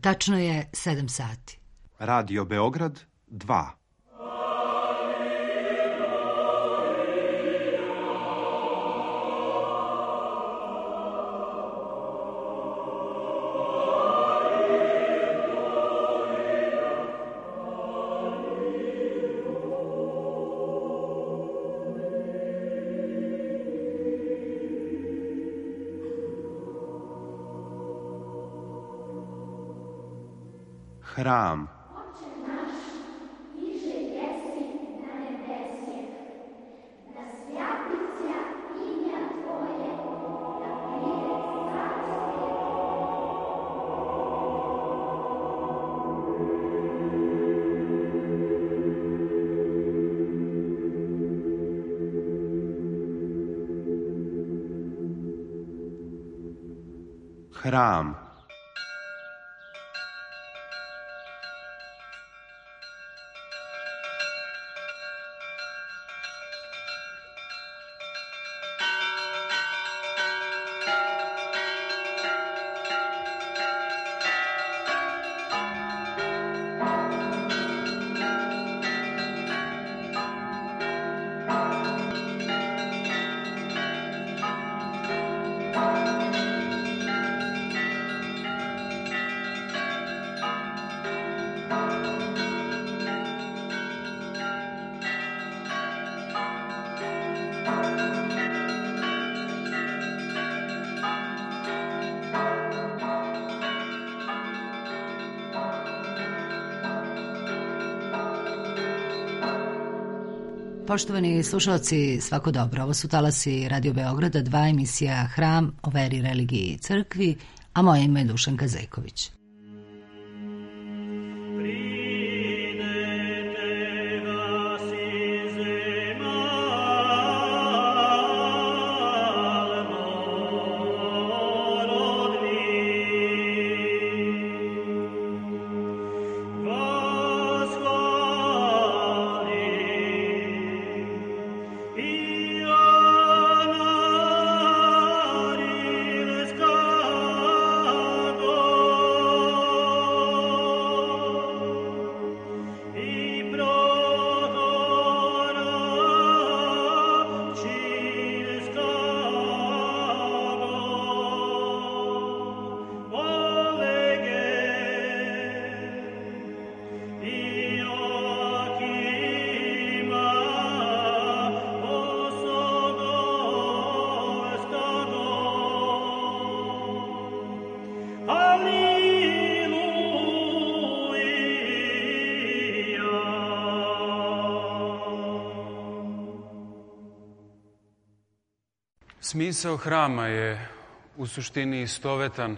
Tačno je 7 sati. Radio Beograd 2. Hram. Oče naš, iže jesi na nebesje, da svjatlića imja Tvoje, da pride carstvo. Hram. Poštovani slušalci, svako dobro. Ovo su talasi Radio Beograda, 2 emisija Hram o veri, religiji i crkvi, a moje ime je Dušanka Zejković. Smisao hrama je u suštini istovetan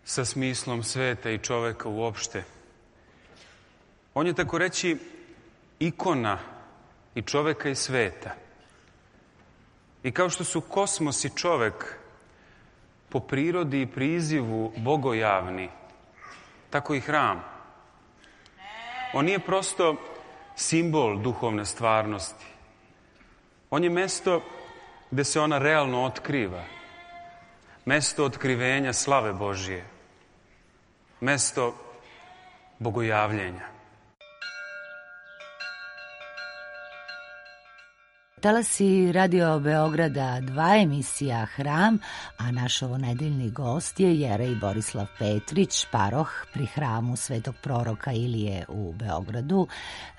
sa smislom sveta i čoveka uopšte. On je, tako reći, ikona i čoveka i sveta. I kao što su kosmos i čovek po prirodi i prizivu bogojavni, tako i hram. On nije prosto simbol duhovne stvarnosti. On je mesto gde se ona realno otkriva. Mesto otkrivenja slave Božije. Mesto bogojavljenja. Talasi Radio Beograda, 2 emisija Hram, a naš ovonedeljni gost je Jerej Borislav Petrić, paroh pri hramu Svetog proroka Ilije u Beogradu,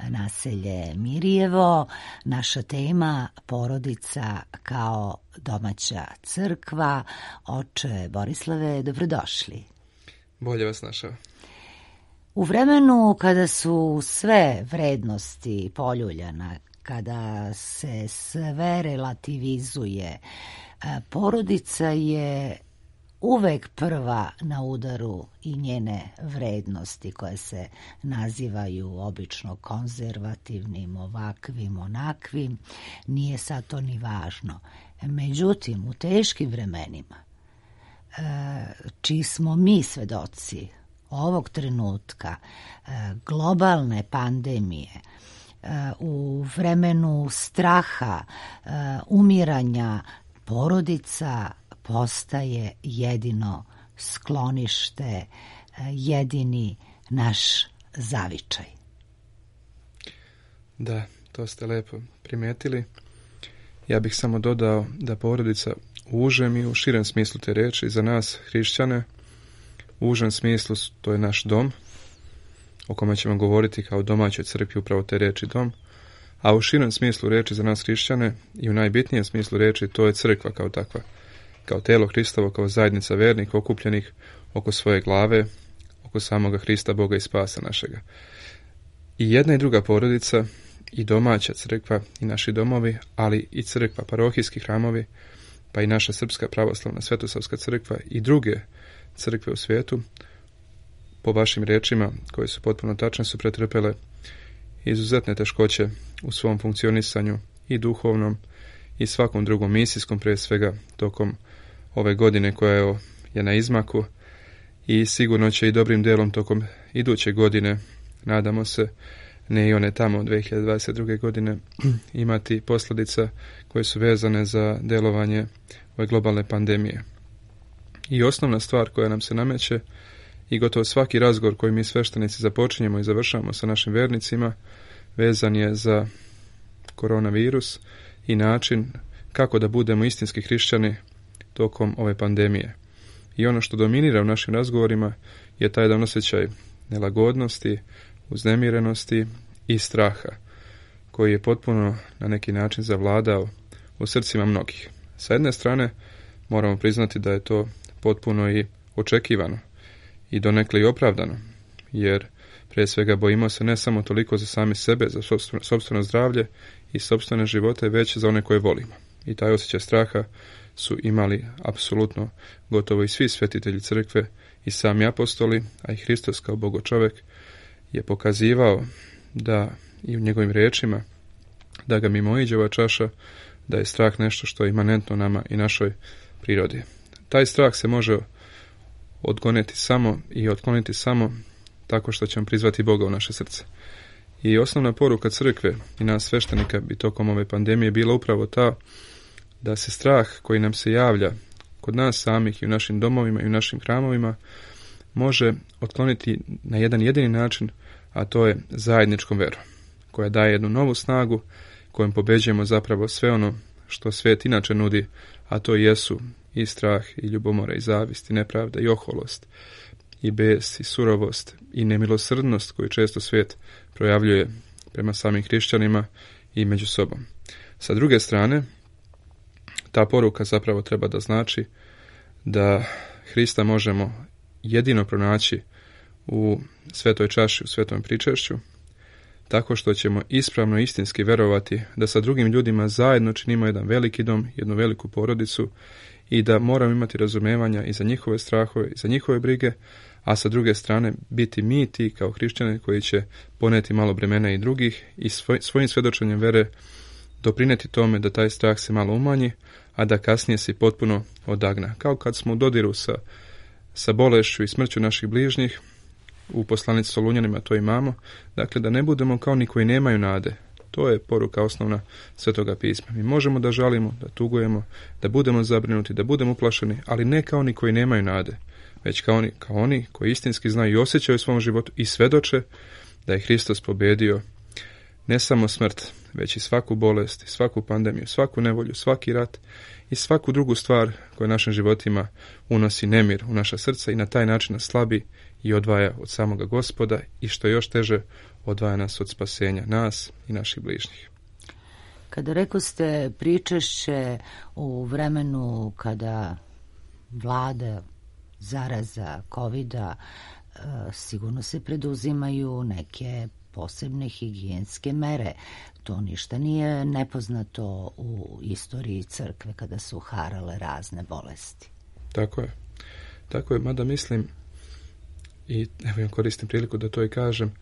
naselje Mirjevo. Naša tema porodica kao domaća crkva. Oče Borislave, dobrodošli. Bolje vas našao. U vremenu kada su sve vrednosti poljuljana, kada se sve relativizuje, porodica je uvek prva na udaru i njene vrednosti koje se nazivaju obično konzervativnim, ovakvim, onakvim, nije sad to ni važno. Međutim, u teškim vremenima, čiji smo mi svedoci ovog trenutka, globalne pandemije, u vremenu straha, umiranja, porodica postaje jedino sklonište, jedini naš zavičaj. Da, to ste lepo primijetili. Ja bih samo dodao da porodica u užem i u širem smislu te riječi za nas hrišćane, u užem smislu to je naš dom, o kome ćemo govoriti kao domaćoj crkvi, upravo te riječi dom, a u širem smislu riječi za nas hrišćane i u najbitnijem smislu riječi to je crkva kao takva, kao telo Hristovo, kao zajednica vernika okupljenih oko svoje glave, oko samoga Hrista, Boga i spasa našega. I jedna i druga porodica, i domaća crkva, i naši domovi, ali i crkva, parohijski hramovi, pa i naša srpska pravoslavna Svetosavska crkva i druge crkve u svijetu, po vašim riječima, koje su potpuno tačne, su pretrpele izuzetne teškoće u svom funkcionisanju i duhovnom i svakom drugom misijskom, prije svega tokom ove godine koja je na izmaku, i sigurno će i dobrim dijelom tokom iduće godine, nadamo se, ne i one tamo 2022. godine, imati posljedica koje su vezane za djelovanje ove globalne pandemije. I osnovna stvar koja nam se nameće i gotovo svaki razgovor koji mi sveštenici započinjemo i završamo sa našim vernicima vezan je za koronavirus i način kako da budemo istinski hrišćani tokom ove pandemije. I ono što dominira u našim razgovorima je taj jedan osjećaj nelagodnosti, uznemirenosti i straha, koji je potpuno na neki način zavladao u srcima mnogih. Sa jedne strane moramo priznati da je to potpuno i očekivano i donekle i opravdano, jer prije svega bojimo se ne samo toliko za sami sebe, za sopstveno zdravlje i sopstvene živote, već za one koje volimo. I taj osjećaj straha su imali apsolutno gotovo i svi svetitelji crkve i sami apostoli, a i Hristos kao Bogočovjek je pokazivao da i u njegovim riječima da ga mimoiđe ova čaša, da je strah nešto što je imanentno nama i našoj prirodi. Taj strah se može odgoneti samo i otkloniti samo tako što ćemo prizvati Boga u naše srce. I osnovna poruka crkve i nas sveštenika bi tokom ove pandemije bila upravo ta da se strah koji nam se javlja kod nas samih i u našim domovima i u našim hramovima može otkloniti na jedan jedini način, a to je zajedničkom verom, koja daje jednu novu snagu kojom pobeđujemo zapravo sve ono što svijet inače nudi, a to jesu i strah, i ljubomora, i zavist, i nepravda, i oholost, i bes, i surovost, i nemilosrdnost koju često svijet projavljuje prema samim hrišćanima i među sobom. Sa druge strane, ta poruka zapravo treba da znači da Hrista možemo jedino pronaći u svetoj čaši, u svetom pričešću, tako što ćemo ispravno i istinski verovati da sa drugim ljudima zajedno činimo jedan veliki dom, jednu veliku porodicu i da moramo imati razumevanja i za njihove strahove i za njihove brige, a sa druge strane biti mi ti kao hrišćani koji će poneti malo bremena i drugih i svojim svjedočenjem vere doprineti tome da taj strah se malo umanji, a da kasnije se potpuno odagna. Kao kad smo u dodiru sa bolešću i smrću naših bližnjih, u poslanici Solunjanima to imamo, dakle da ne budemo kao ni koji nemaju nade. To je poruka osnovna Svetoga pisma. Mi možemo da žalimo, da tugujemo, da budemo zabrinuti, da budemo uplašeni, ali ne kao ni koji nemaju nade, već kao oni koji istinski znaju i osjećaju u svom životu i svedoče da je Hristos pobedio ne samo smrt, već i svaku bolest, i svaku pandemiju, svaku nevolju, svaki rat i svaku drugu stvar koja našim životima unosi nemir u naša srca i na taj način nas slabi i odvaja od samoga Gospoda i što je još teže, odvaja nas od spasenja, nas i naših bližnjih. Kada rekoste pričešće u vremenu kada vlada zaraza covida, sigurno se preduzimaju neke posebne higijenske mere. To ništa nije nepoznato u istoriji crkve kada su harale razne bolesti. Tako je, mada mislim, i evo ja koristim priliku da to i kažem,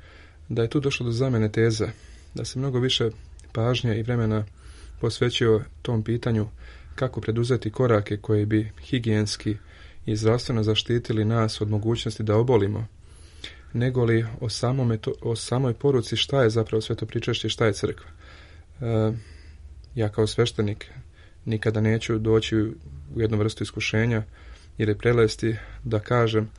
da je tu došlo do zamjene teza, da se mnogo više pažnje i vremena posvećio tom pitanju kako preduzeti korake koji bi higijenski i zdravstveno zaštitili nas od mogućnosti da obolimo, nego li o samoj poruci šta je zapravo sveto pričešće, šta je crkva. Ja kao sveštenik nikada neću doći u jednu vrstu iskušenja ili prelesti da kažem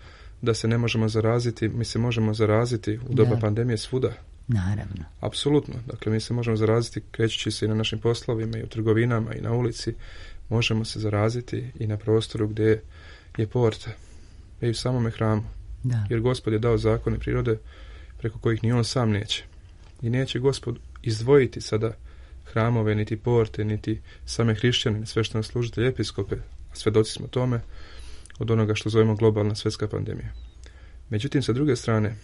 da se ne možemo zaraziti, mi se možemo zaraziti u doba pandemije svuda. Naravno. Apsolutno. Dakle, mi se možemo zaraziti krećući se i na našim poslovima, i u trgovinama, i na ulici. Možemo se zaraziti i na prostoru gdje je porta. I u samome hramu. Da. Jer Gospod je dao zakone prirode preko kojih ni on sam neće. I neće Gospod izdvojiti sada hramove, niti porte, niti same hrišćane, sve što nas služitelji, episkope, a svedoci smo tome, od onoga što zovemo globalna svjetska pandemija. Međutim, sa druge strane,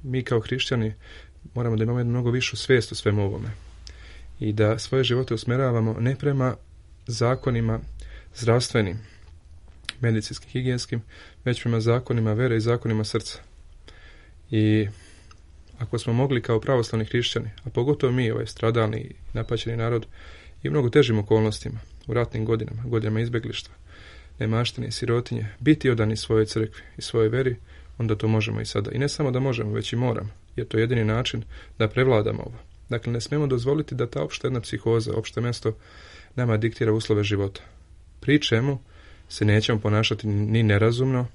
mi kao hrišćani moramo da imamo jednu mnogo višu svijest o svemu ovome i da svoje živote usmjeravamo ne prema zakonima zdravstvenim, medicinskim, higijenskim, već prema zakonima vere i zakonima srca. I ako smo mogli kao pravoslavni hrišćani, a pogotovo mi, ovaj stradalni i napaćeni narod, i u mnogo težim okolnostima, u ratnim godinama, godinama izbjeglištva, nemaštine i sirotinje, biti odani svojoj crkvi i svojoj veri, onda to možemo i sada. I ne samo da možemo, već i moramo, jer to je jedini način da prevladamo ovo. Dakle, ne smijemo dozvoliti da ta opšta jedna psihoza, opšte mjesto, nama diktira uslove života. Pri čemu se nećemo ponašati ni nerazumno,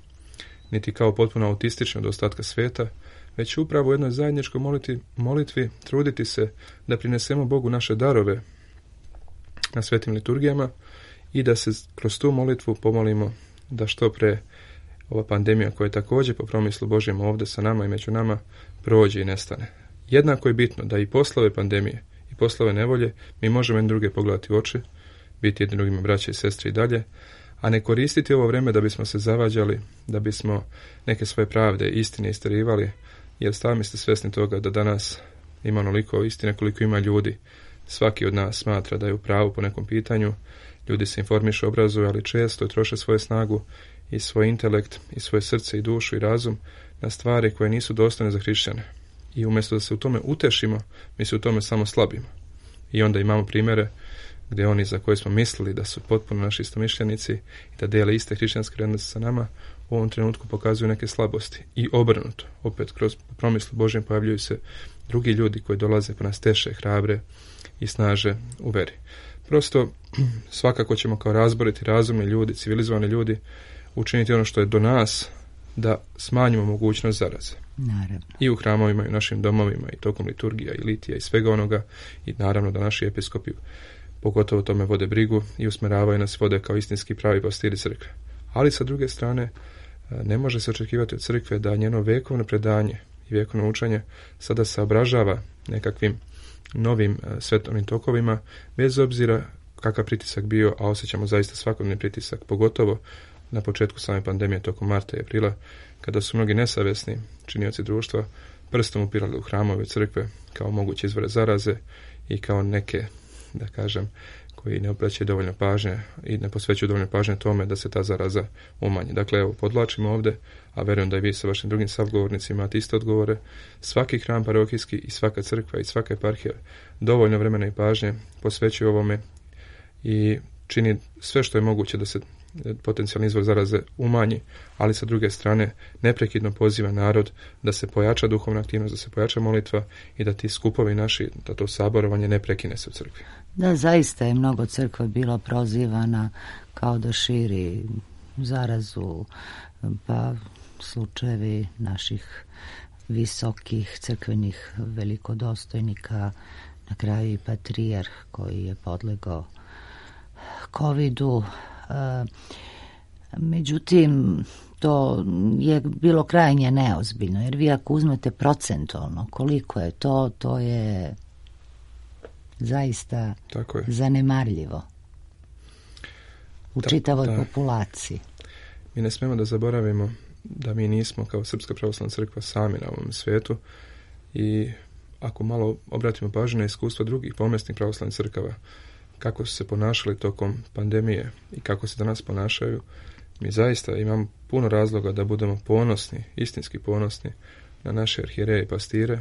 niti kao potpuno autistično od ostatka svijeta, već upravo u jednoj zajedničkoj molitvi truditi se da prinesemo Bogu naše darove na svetim liturgijama i da se kroz tu molitvu pomolimo da što pre ova pandemija, koja je također po promislu Božjem ovdje sa nama i među nama, prođe i nestane. Jednako je bitno da i poslove pandemije i poslove nevolje mi možemo jedni druge pogledati u oči, biti jedni drugima braće i sestre i dalje, a ne koristiti ovo vrijeme da bismo se zavađali, da bismo neke svoje pravde i istine isterivali, jer sami ste svjesni toga da danas ima onoliko istine koliko ima ljudi. Svaki od nas smatra da je u pravu po nekom pitanju, ljudi se informišu, obrazuju, ali često troše svoju snagu i svoj intelekt i svoje srce i dušu i razum na stvari koje nisu dostojne za hrišćane. I umjesto da se u tome utešimo, mi se u tome samo slabimo. I onda imamo primjere gdje oni za koje smo mislili da su potpuno naši istomišljenici i da dijele iste hrišćanske vrijednosti sa nama, u ovom trenutku pokazuju neke slabosti. I obrnuto, opet kroz promislu Božjem pojavljuju se drugi ljudi koji dolaze pa nas teše, hrabre i snaže u veri. Prosto, svakako ćemo kao razboriti, razumni ljudi, civilizovani ljudi, učiniti ono što je do nas, da smanjimo mogućnost zaraze. Naravno. I u hramovima, i u našim domovima, i tokom liturgija, i litija, i svega onoga, i naravno da naši episkopi pogotovo tome vode brigu i usmjeravaju nas, vode kao istinski pravi pastiri crkve. Ali sa druge strane, ne može se očekivati od crkve da njeno vekovno predanje i vekovno učenje sada se obražava nekakvim novim svetovnim tokovima, bez obzira kakav pritisak bio, a osjećamo zaista svakodnevni pritisak, pogotovo na početku same pandemije tokom marta i aprila, kada su mnogi nesavjesni činioci društva prstom upirali u hramove crkve kao moguće izvore zaraze i kao neke, da kažem, koji ne obraćaju dovoljno pažnje i ne posvećuju dovoljno pažnje tome da se ta zaraza umanji. Dakle, evo, podvlačimo ovdje, a vjerujem da i vi sa vašim drugim savgovornicima imate iste odgovore. Svaki hram parohijski i svaka crkva i svaka eparhija dovoljno vremena i pažnje posvećuje ovome i čini sve što je moguće da se potencijalni izvor zaraze umanji, ali sa druge strane neprekidno poziva narod da se pojača duhovna aktivnost, da se pojača molitva i da ti skupovi naši, da to saborovanje ne prekine se u crkvi. Da, zaista je mnogo crkva bilo prozivana kao da širi zarazu, pa slučajevi naših visokih crkvenih velikodostojnika, na kraju i patrijarh koji je podlegao covidu. Međutim, to je bilo krajnje neozbiljno, jer vi ako uzmete procentualno koliko je to, to je zaista zanemarljivo u čitavoj populaciji. Mi ne smijemo da zaboravimo da mi nismo kao Srpska pravoslavna crkva sami na ovom svijetu i ako malo obratimo pažnju na iskustva drugih pomjesnih pravoslavnih crkava, kako su se ponašali tokom pandemije i kako se danas ponašaju, mi zaista imamo puno razloga da budemo ponosni, istinski ponosni na naše arhijereje i pastire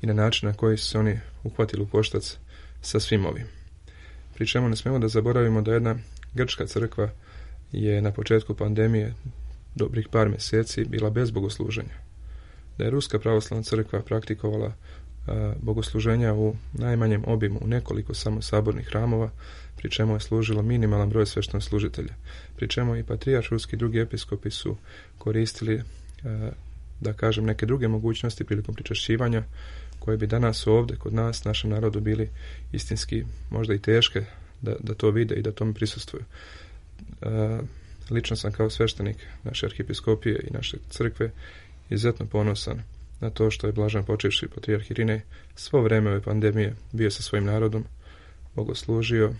i na način na koji su se oni uhvatili u koštac sa svim ovim. Pri čemu ne smijemo da zaboravimo da jedna grčka crkva je na početku pandemije dobrih par mjeseci bila bez bogosluženja. Da je Ruska pravoslavna crkva praktikovala bogosluženja u najmanjem obimu, u nekoliko samo sabornih hramova, pri čemu je služilo minimalan broj sveštenoslужitelja. Pri čemu i patrijarh ruski i drugi episkopi su koristili da kažem, neke druge mogućnosti prilikom pričašćivanja koje bi danas ovdje kod nas, našem narodu, bili istinski možda i teške da to vide i da tome prisustvuju. Lično sam kao sveštenik naše arhijepiskopije i naše crkve izuzetno ponosan na to što je blažen počivši patrijarh Irinej svo vreme ove pandemije bio sa svojim narodom, bogoslužio,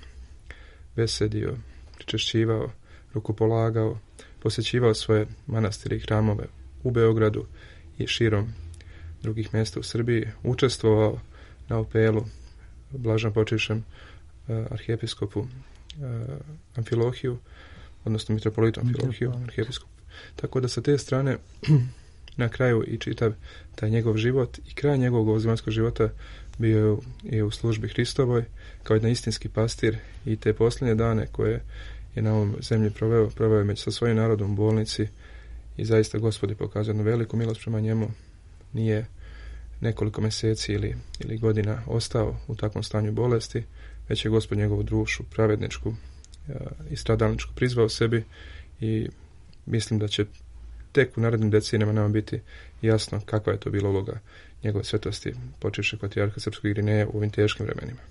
besedio, pričešćivao, rukopolagao, posjećivao svoje manastire i hramove u Beogradu i širom drugih mjesta u Srbiji, učestvovao na apelu blažen počivšem arhijepiskopu Amfilohiju, odnosno mitropolitu Amfilohiju, arhijepiskopu. Tako da sa te strane na kraju i čitav taj njegov život i kraj njegovog ovozemaljskog života bio je u službi Hristovoj kao jedan istinski pastir i te posljednje dane koje je na ovom zemlji proveo je sa svojim narodom u bolnici i zaista Gospod je pokazao jednu veliku milost prema njemu. Nije nekoliko mjeseci ili godina ostao u takvom stanju bolesti, već je Gospod njegovu dušu pravedničku i stradalničku prizvao sebi i mislim da će tek u narednim decenijama nama biti jasno kakva je to bila uloga njegove svetosti počivšeg patrijarha srpskog Irineja u ovim teškim vremenima.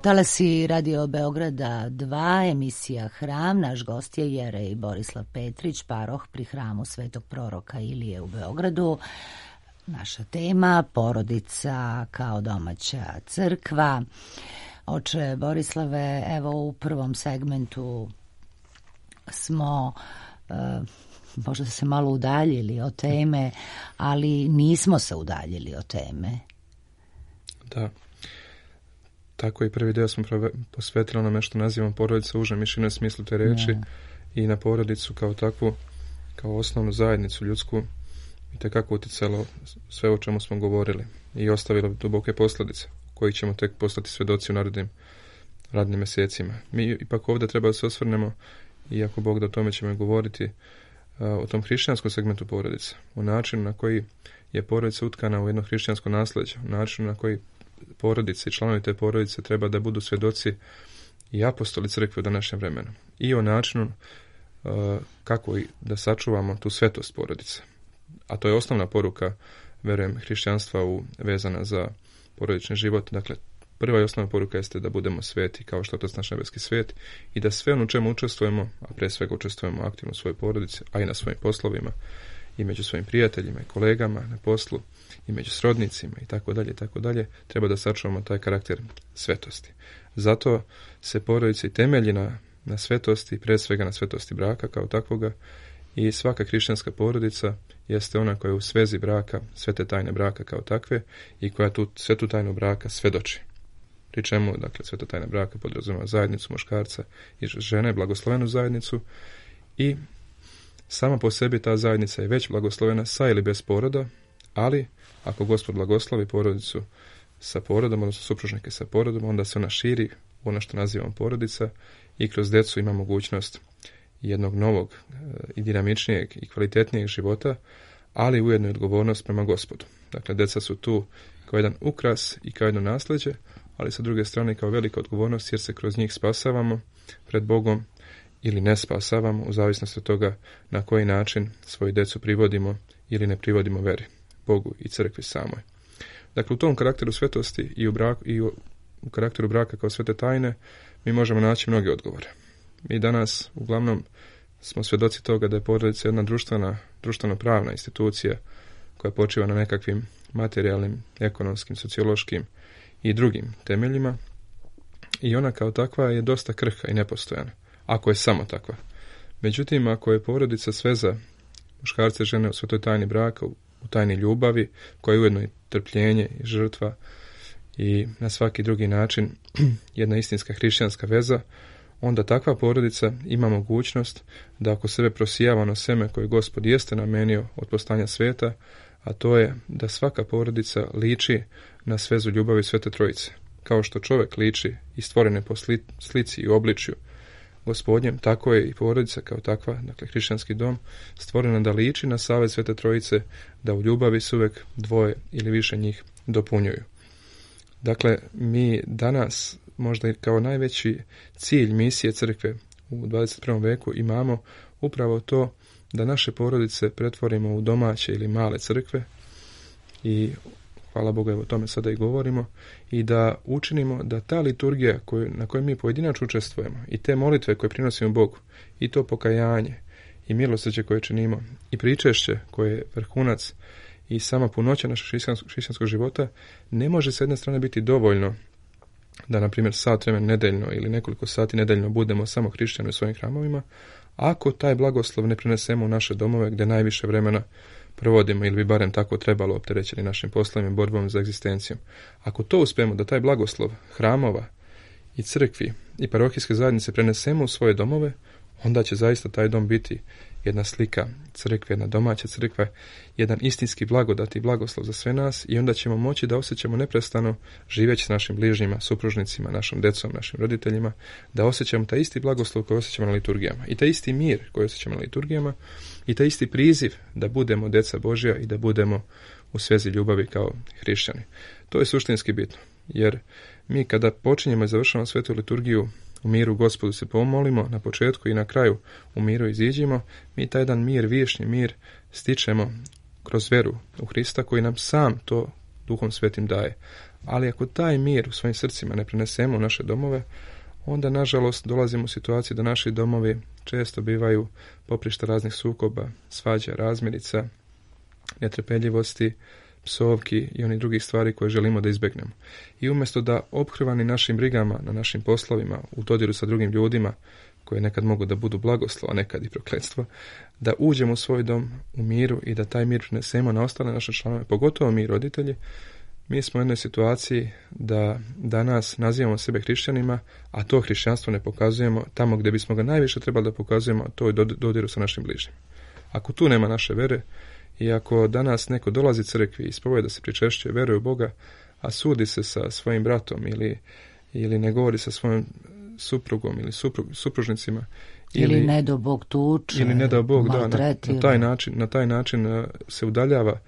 Talasi Radio Beograda 2, emisija Hram. Naš gost je jerej Borislav Petrić, paroh pri hramu Svetog proroka Ilije u Beogradu. Naša tema, porodica kao domaća crkva. Oče Borislave, evo u prvom segmentu smo možda se malo udaljili od teme, ali nismo se udaljili od teme. Da. Tako i prvi dio smo posvetili onome što nazivamo porodica u užem i širem smislu te reči i na porodicu kao takvu, kao osnovnu zajednicu ljudsku i tekako utjecalo sve o čemu smo govorili i ostavilo duboke posljedice. koji ćemo tek postati svjedoci u narednim mjesecima. Mi ipak ovdje treba da se osvrnemo, i ako Bog da o tome ćemo govoriti, o tom hrišćanskom segmentu porodice, o načinu na koji je porodica utkana u jedno hrišćansko nasljeđe, o načinu na koji porodice i članovi te porodice treba da budu svjedoci i apostoli crkve u današnjem vremenu. I o načinu kako da sačuvamo tu svetost porodice. A to je osnovna poruka, verujem, hrišćanstva vezana za porodični život. Dakle, prva i osnovna poruka jeste da budemo sveti kao što je Otac naš nebeski svet i da sve ono u čemu učestvujemo, a pre svega učestvujemo aktivno u svojoj porodici, a i na svojim poslovima, i među svojim prijateljima i kolegama na poslu, i među srodnicima i tako dalje, treba da sačuvamo taj karakter svetosti. Zato se porodica i temelji na svetosti, pre svega na svetosti braka kao takvoga, i svaka hrišćanska porodica jeste ona koja je u svezi braka, svete tajne braka kao takve, i koja tu svetu tajnu braka svedoči. Pri čemu, dakle, sveta tajna braka podrazumeva zajednicu muškarca i žene, blagoslovenu zajednicu, i sama po sebi ta zajednica je već blagoslovena sa ili bez poroda, ali ako Gospod blagoslovi porodicu sa porodom, odnosno supružnike sa porodom, onda se ona širi u ono što nazivamo porodica i kroz decu ima mogućnost jednog novog i dinamičnijeg i kvalitetnijeg života, ali ujedno i odgovornost prema Gospodu. Dakle, deca su tu kao jedan ukras i kao jedno nasljeđe, ali sa druge strane kao velika odgovornost, jer se kroz njih spasavamo pred Bogom ili ne spasavamo, u zavisnosti od toga na koji način svoju decu privodimo ili ne privodimo veri, Bogu i crkvi samoj. Dakle, u tom karakteru svetosti i u karakteru braka kao svete tajne mi možemo naći mnoge odgovore. Mi danas uglavnom smo svjedoci toga da je porodica jedna društveno-pravna institucija koja počiva na nekakvim materijalnim, ekonomskim, sociološkim i drugim temeljima, i ona kao takva je dosta krhka i nepostojana, ako je samo takva. Međutim, ako je porodica sveza muškarca i žene u svetoj tajni braka, u tajni ljubavi, koja je ujedno i trpljenje i žrtva i na svaki drugi način jedna istinska hrišćanska veza, onda takva porodica ima mogućnost da ako sebe prosijava ono seme koje Gospod jeste namenio od postanja sveta, a to je da svaka porodica liči na svezu ljubavi Svete Trojice. Kao što čovjek liči i stvorene po slici i obličju Gospodnjem, tako je i porodica kao takva, dakle hrišćanski dom, stvorena da liči na savez Svete Trojice, da u ljubavi se uvek dvoje ili više njih dopunjuju. Dakle, mi danas možda i kao najveći cilj misije crkve u 21. veku imamo upravo to da naše porodice pretvorimo u domaće ili male crkve, i hvala Bogu, evo o tome sada i govorimo, i da učinimo da ta liturgija na kojoj mi pojedinačno učestvujemo i te molitve koje prinosimo Bogu i to pokajanje i milosrđe koje činimo i pričešće koje je vrhunac i sama punoća našeg hrišćanskog života, ne može s jedne strane biti dovoljno da, na primjer, sat vremena nedeljno ili nekoliko sati nedeljno budemo samo hrišćani u svojim hramovima, ako taj blagoslov ne prenesemo u naše domove gdje najviše vremena provodimo, ili bi barem tako trebalo, opterećeni našim poslovima i borbom za egzistencijom. Ako to uspijemo, da taj blagoslov hramova i crkvi i parohijske zajednice prenesemo u svoje domove, onda će zaista taj dom biti jedna slika crkve, jedna domaća crkva, jedan istinski blagodat i blagoslov za sve nas, i onda ćemo moći da osjećamo neprestano, živeći s našim bližnjima, supružnicima, našom decom, našim roditeljima, da osjećamo taj isti blagoslov koji osjećamo na liturgijama i taj isti mir koji osjećamo na liturgijama i taj isti priziv da budemo deca Božja i da budemo u svezi ljubavi kao hrišćani. To je suštinski bitno, jer mi kada počinjemo i završamo svetu liturgiju u miru Gospodu se pomolimo na početku i na kraju u miru iziđimo, mi taj jedan mir, vječni mir, stičemo kroz veru u Hrista koji nam sam to Duhom Svetim daje. Ali ako taj mir u svojim srcima ne prenesemo u naše domove, onda nažalost dolazimo u situaciju da naši domovi često bivaju poprišta raznih sukoba, svađa, razmirica, netrpeljivosti, psovki i onih drugih stvari koje želimo da izbjegnemo. I umjesto da ophrvani našim brigama na našim poslovima, u dodiru sa drugim ljudima, koje nekad mogu da budu blagoslov, a nekad i prokletstvo, da uđemo u svoj dom u miru i da taj mir prenesemo na ostale naše članove, pogotovo mi roditelji. Mi smo u jednoj situaciji da danas nazivamo sebe hrišćanima, a to hrišćanstvo ne pokazujemo tamo gdje bismo ga najviše trebali da pokazujemo, a to je dodiru sa našim bližnjim. Ako tu nema naše vere, i ako danas neko dolazi crkvi i ispoveda da se pričešćuje, veruje u Boga, a sudi se sa svojim bratom ili ne govori sa svojom suprugom ili supružnicima, ili ne do Bog tuče, ili ne do Bog, maltretira. Na taj način se udaljava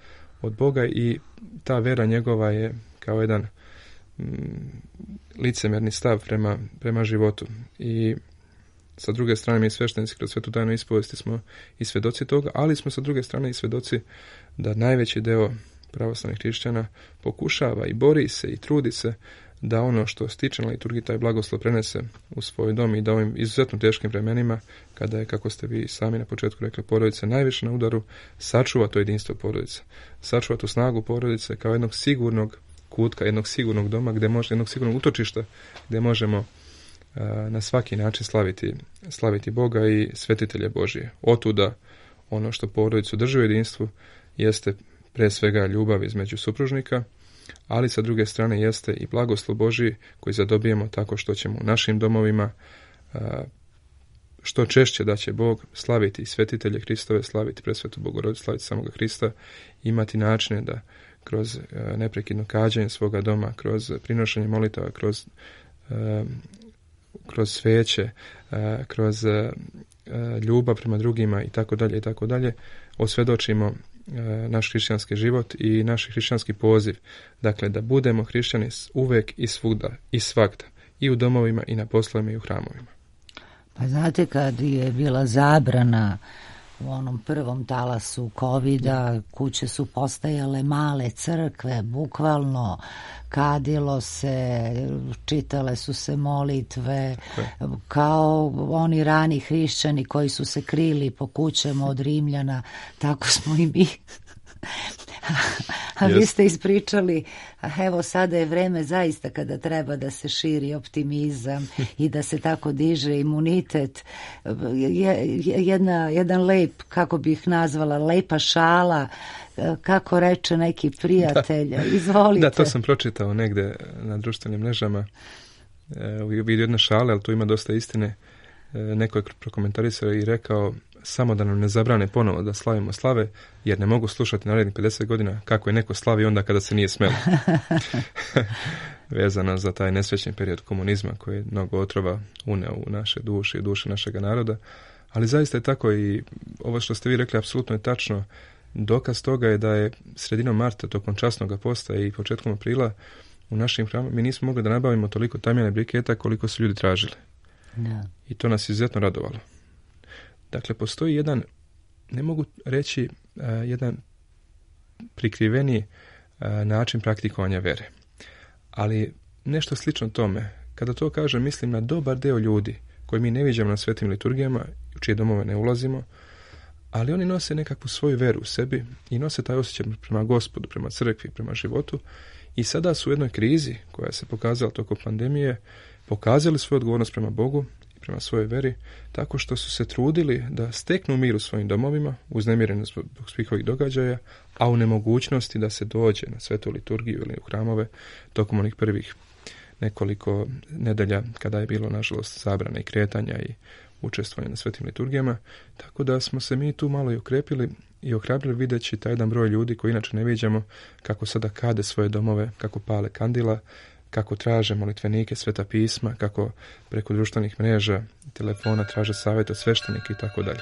od Boga i ta vera njegova je kao jedan licemjerni stav prema životu. I sa druge strane mi sveštenici kroz svetu tajnu ispovesti smo i svjedoci toga, ali smo sa druge strane i svjedoci da najveći deo pravoslavnih hrišćana pokušava i bori se i trudi se da ono što stiče na liturgiji taj blagoslov prenese u svoj dom i da ovim izuzetno teškim vremenima, kada je, kako ste vi sami na početku rekli, porodica najviše na udaru, sačuva to jedinstvo porodice, sačuva tu snagu porodice kao jednog sigurnog kutka, jednog sigurnog doma, jednog sigurnog utočišta gdje možemo na svaki način slaviti Boga i svetitelje Božije. Otuda ono što porodicu drži u jedinstvu jeste pre svega ljubav između supružnika, ali sa druge strane jeste i blagoslov Božji koji zadobijemo tako što ćemo u našim domovima što češće da će Bog slaviti svetitelje Hristove, slaviti presvetu Bogorodicu, slaviti samoga Hrista, imati načine da kroz neprekidno kađenje svoga doma, kroz prinošenje molitava, kroz sveće, kroz ljubav prema drugima i tako dalje, osvjedočimo naš hrišćanski život i naš hrišćanski poziv. Dakle, da budemo hrišćani uvek i svuda i svagda, i u domovima i na poslovima i u hramovima. Pa znate, kad je bila zabrana u onom prvom talasu covida, kuće su postajale male crkve, bukvalno kadilo se, čitale su se molitve, kao oni rani hrišćani koji su se krili po kućama od Rimljana, tako smo i mi. A vi ste ispričali, evo sada je vreme zaista kada treba da se širi optimizam i da se tako diže imunitet. Jedan lep, kako bih nazvala, lepa šala, kako reče neki prijatelj. Izvolite. Da, to sam pročitao negde na društvenim mrežama. Vidio jedne šale, ali tu ima dosta istine. Neko je prokomentarisao i rekao: samo da nam ne zabrane ponovo da slavimo slave, jer ne mogu slušati narednih 50 godina kako je neko slavi onda kada se nije smelo. Vezano za taj nesrećni period komunizma koji je mnogo otrova uneo u naše duše i duše našega naroda. Ali zaista je tako i ovo što ste vi rekli apsolutno je tačno. Dokaz toga je da je sredinom marta tokom časnog posta i početkom aprila u našim hramama mi nismo mogli da nabavimo toliko tamjana briketa koliko su ljudi tražili. Da. I to nas izuzetno radovalo. Dakle, postoji jedan, ne mogu reći, jedan prikriveni način praktikovanja vere. Ali nešto slično tome. Kada to kažem, mislim na dobar deo ljudi koji mi ne viđamo na svetim liturgijama, u čije domove ne ulazimo, ali oni nose nekakvu svoju veru u sebi i nose taj osjećaj prema Gospodu, prema crkvi, prema životu. I sada su u jednoj krizi koja se pokazala tokom pandemije, pokazali svoju odgovornost prema Bogu, prema svojoj veri, tako što su se trudili da steknu mir u svojim domovima, uznemireni zbog svih ovih događaja, a u nemogućnosti da se dođe na svetu liturgiju ili u hramove tokom onih prvih nekoliko nedelja kada je bilo, nažalost, zabrane i kretanja i učestvovanja na svetim liturgijama. Tako da smo se mi tu malo i okrepili i ohrabrili videći taj jedan broj ljudi koji inače ne viđamo, kako sada kade svoje domove, kako pale kandila, kako traže molitvenike, sveta pisma, kako preko društvenih mreža, telefona traže savjet od sveštenika i tako dalje.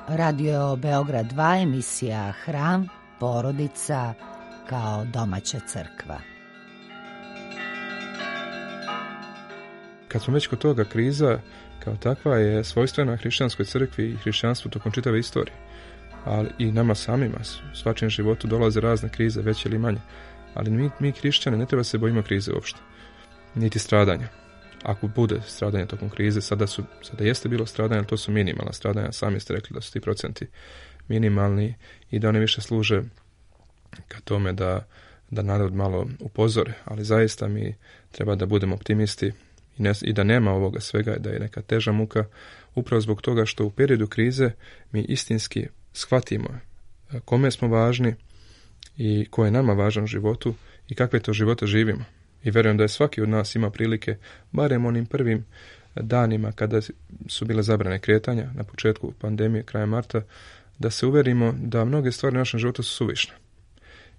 Radio Beograd 2, emisija Hram, porodica kao domaća crkva. Kad smo već kod toga, kriza kao takva je svojstvena hrišćanskoj crkvi i hrišćanstvu tokom čitave istorije. Ali i nama samima, u svačijem životu dolaze razne krize, veće ili manje. Ali mi hrišćani ne treba se bojimo krize uopšte, niti stradanja. Ako bude stradanja tokom krize, sada jeste bilo stradanja, ali to su minimalna stradanja, sami ste rekli da su ti procenti minimalni i da one više služe ka tome da narod malo upozore, ali zaista mi treba da budemo optimisti i da nema ovoga svega, da je neka teža muka, upravo zbog toga što u periodu krize mi istinski shvatimo kome smo važni i ko je nama važan u životu i kakve to živote živimo. I vjerujem da je svaki od nas ima prilike, barem onim prvim danima kada su bile zabrane kretanja na početku pandemije, krajem marta, da se uverimo da mnoge stvari u našem životu su suvišne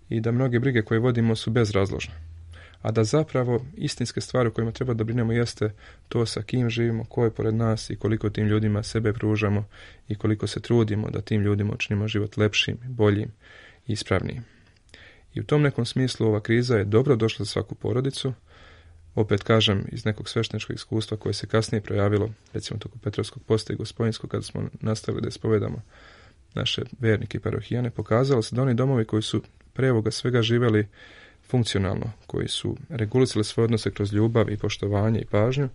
i da mnoge brige koje vodimo su bezrazložne. A da zapravo istinske stvari o kojima treba da brinemo jeste to sa kim živimo, ko je pored nas i koliko tim ljudima sebe pružamo i koliko se trudimo da tim ljudima učinimo život lepšim, boljim i ispravnijim. I u tom nekom smislu ova kriza je dobro došla za svaku porodicu. Opet kažem, iz nekog svešteničkog iskustva koje se kasnije projavilo, recimo tokom Petrovskog posta i Gospodinskog, kada smo nastavili da ispovedamo naše vernike i parohijane, pokazalo se da oni domovi koji su pre ovoga svega živjeli funkcionalno, koji su regulisali svoje odnose kroz ljubav i poštovanje i pažnju,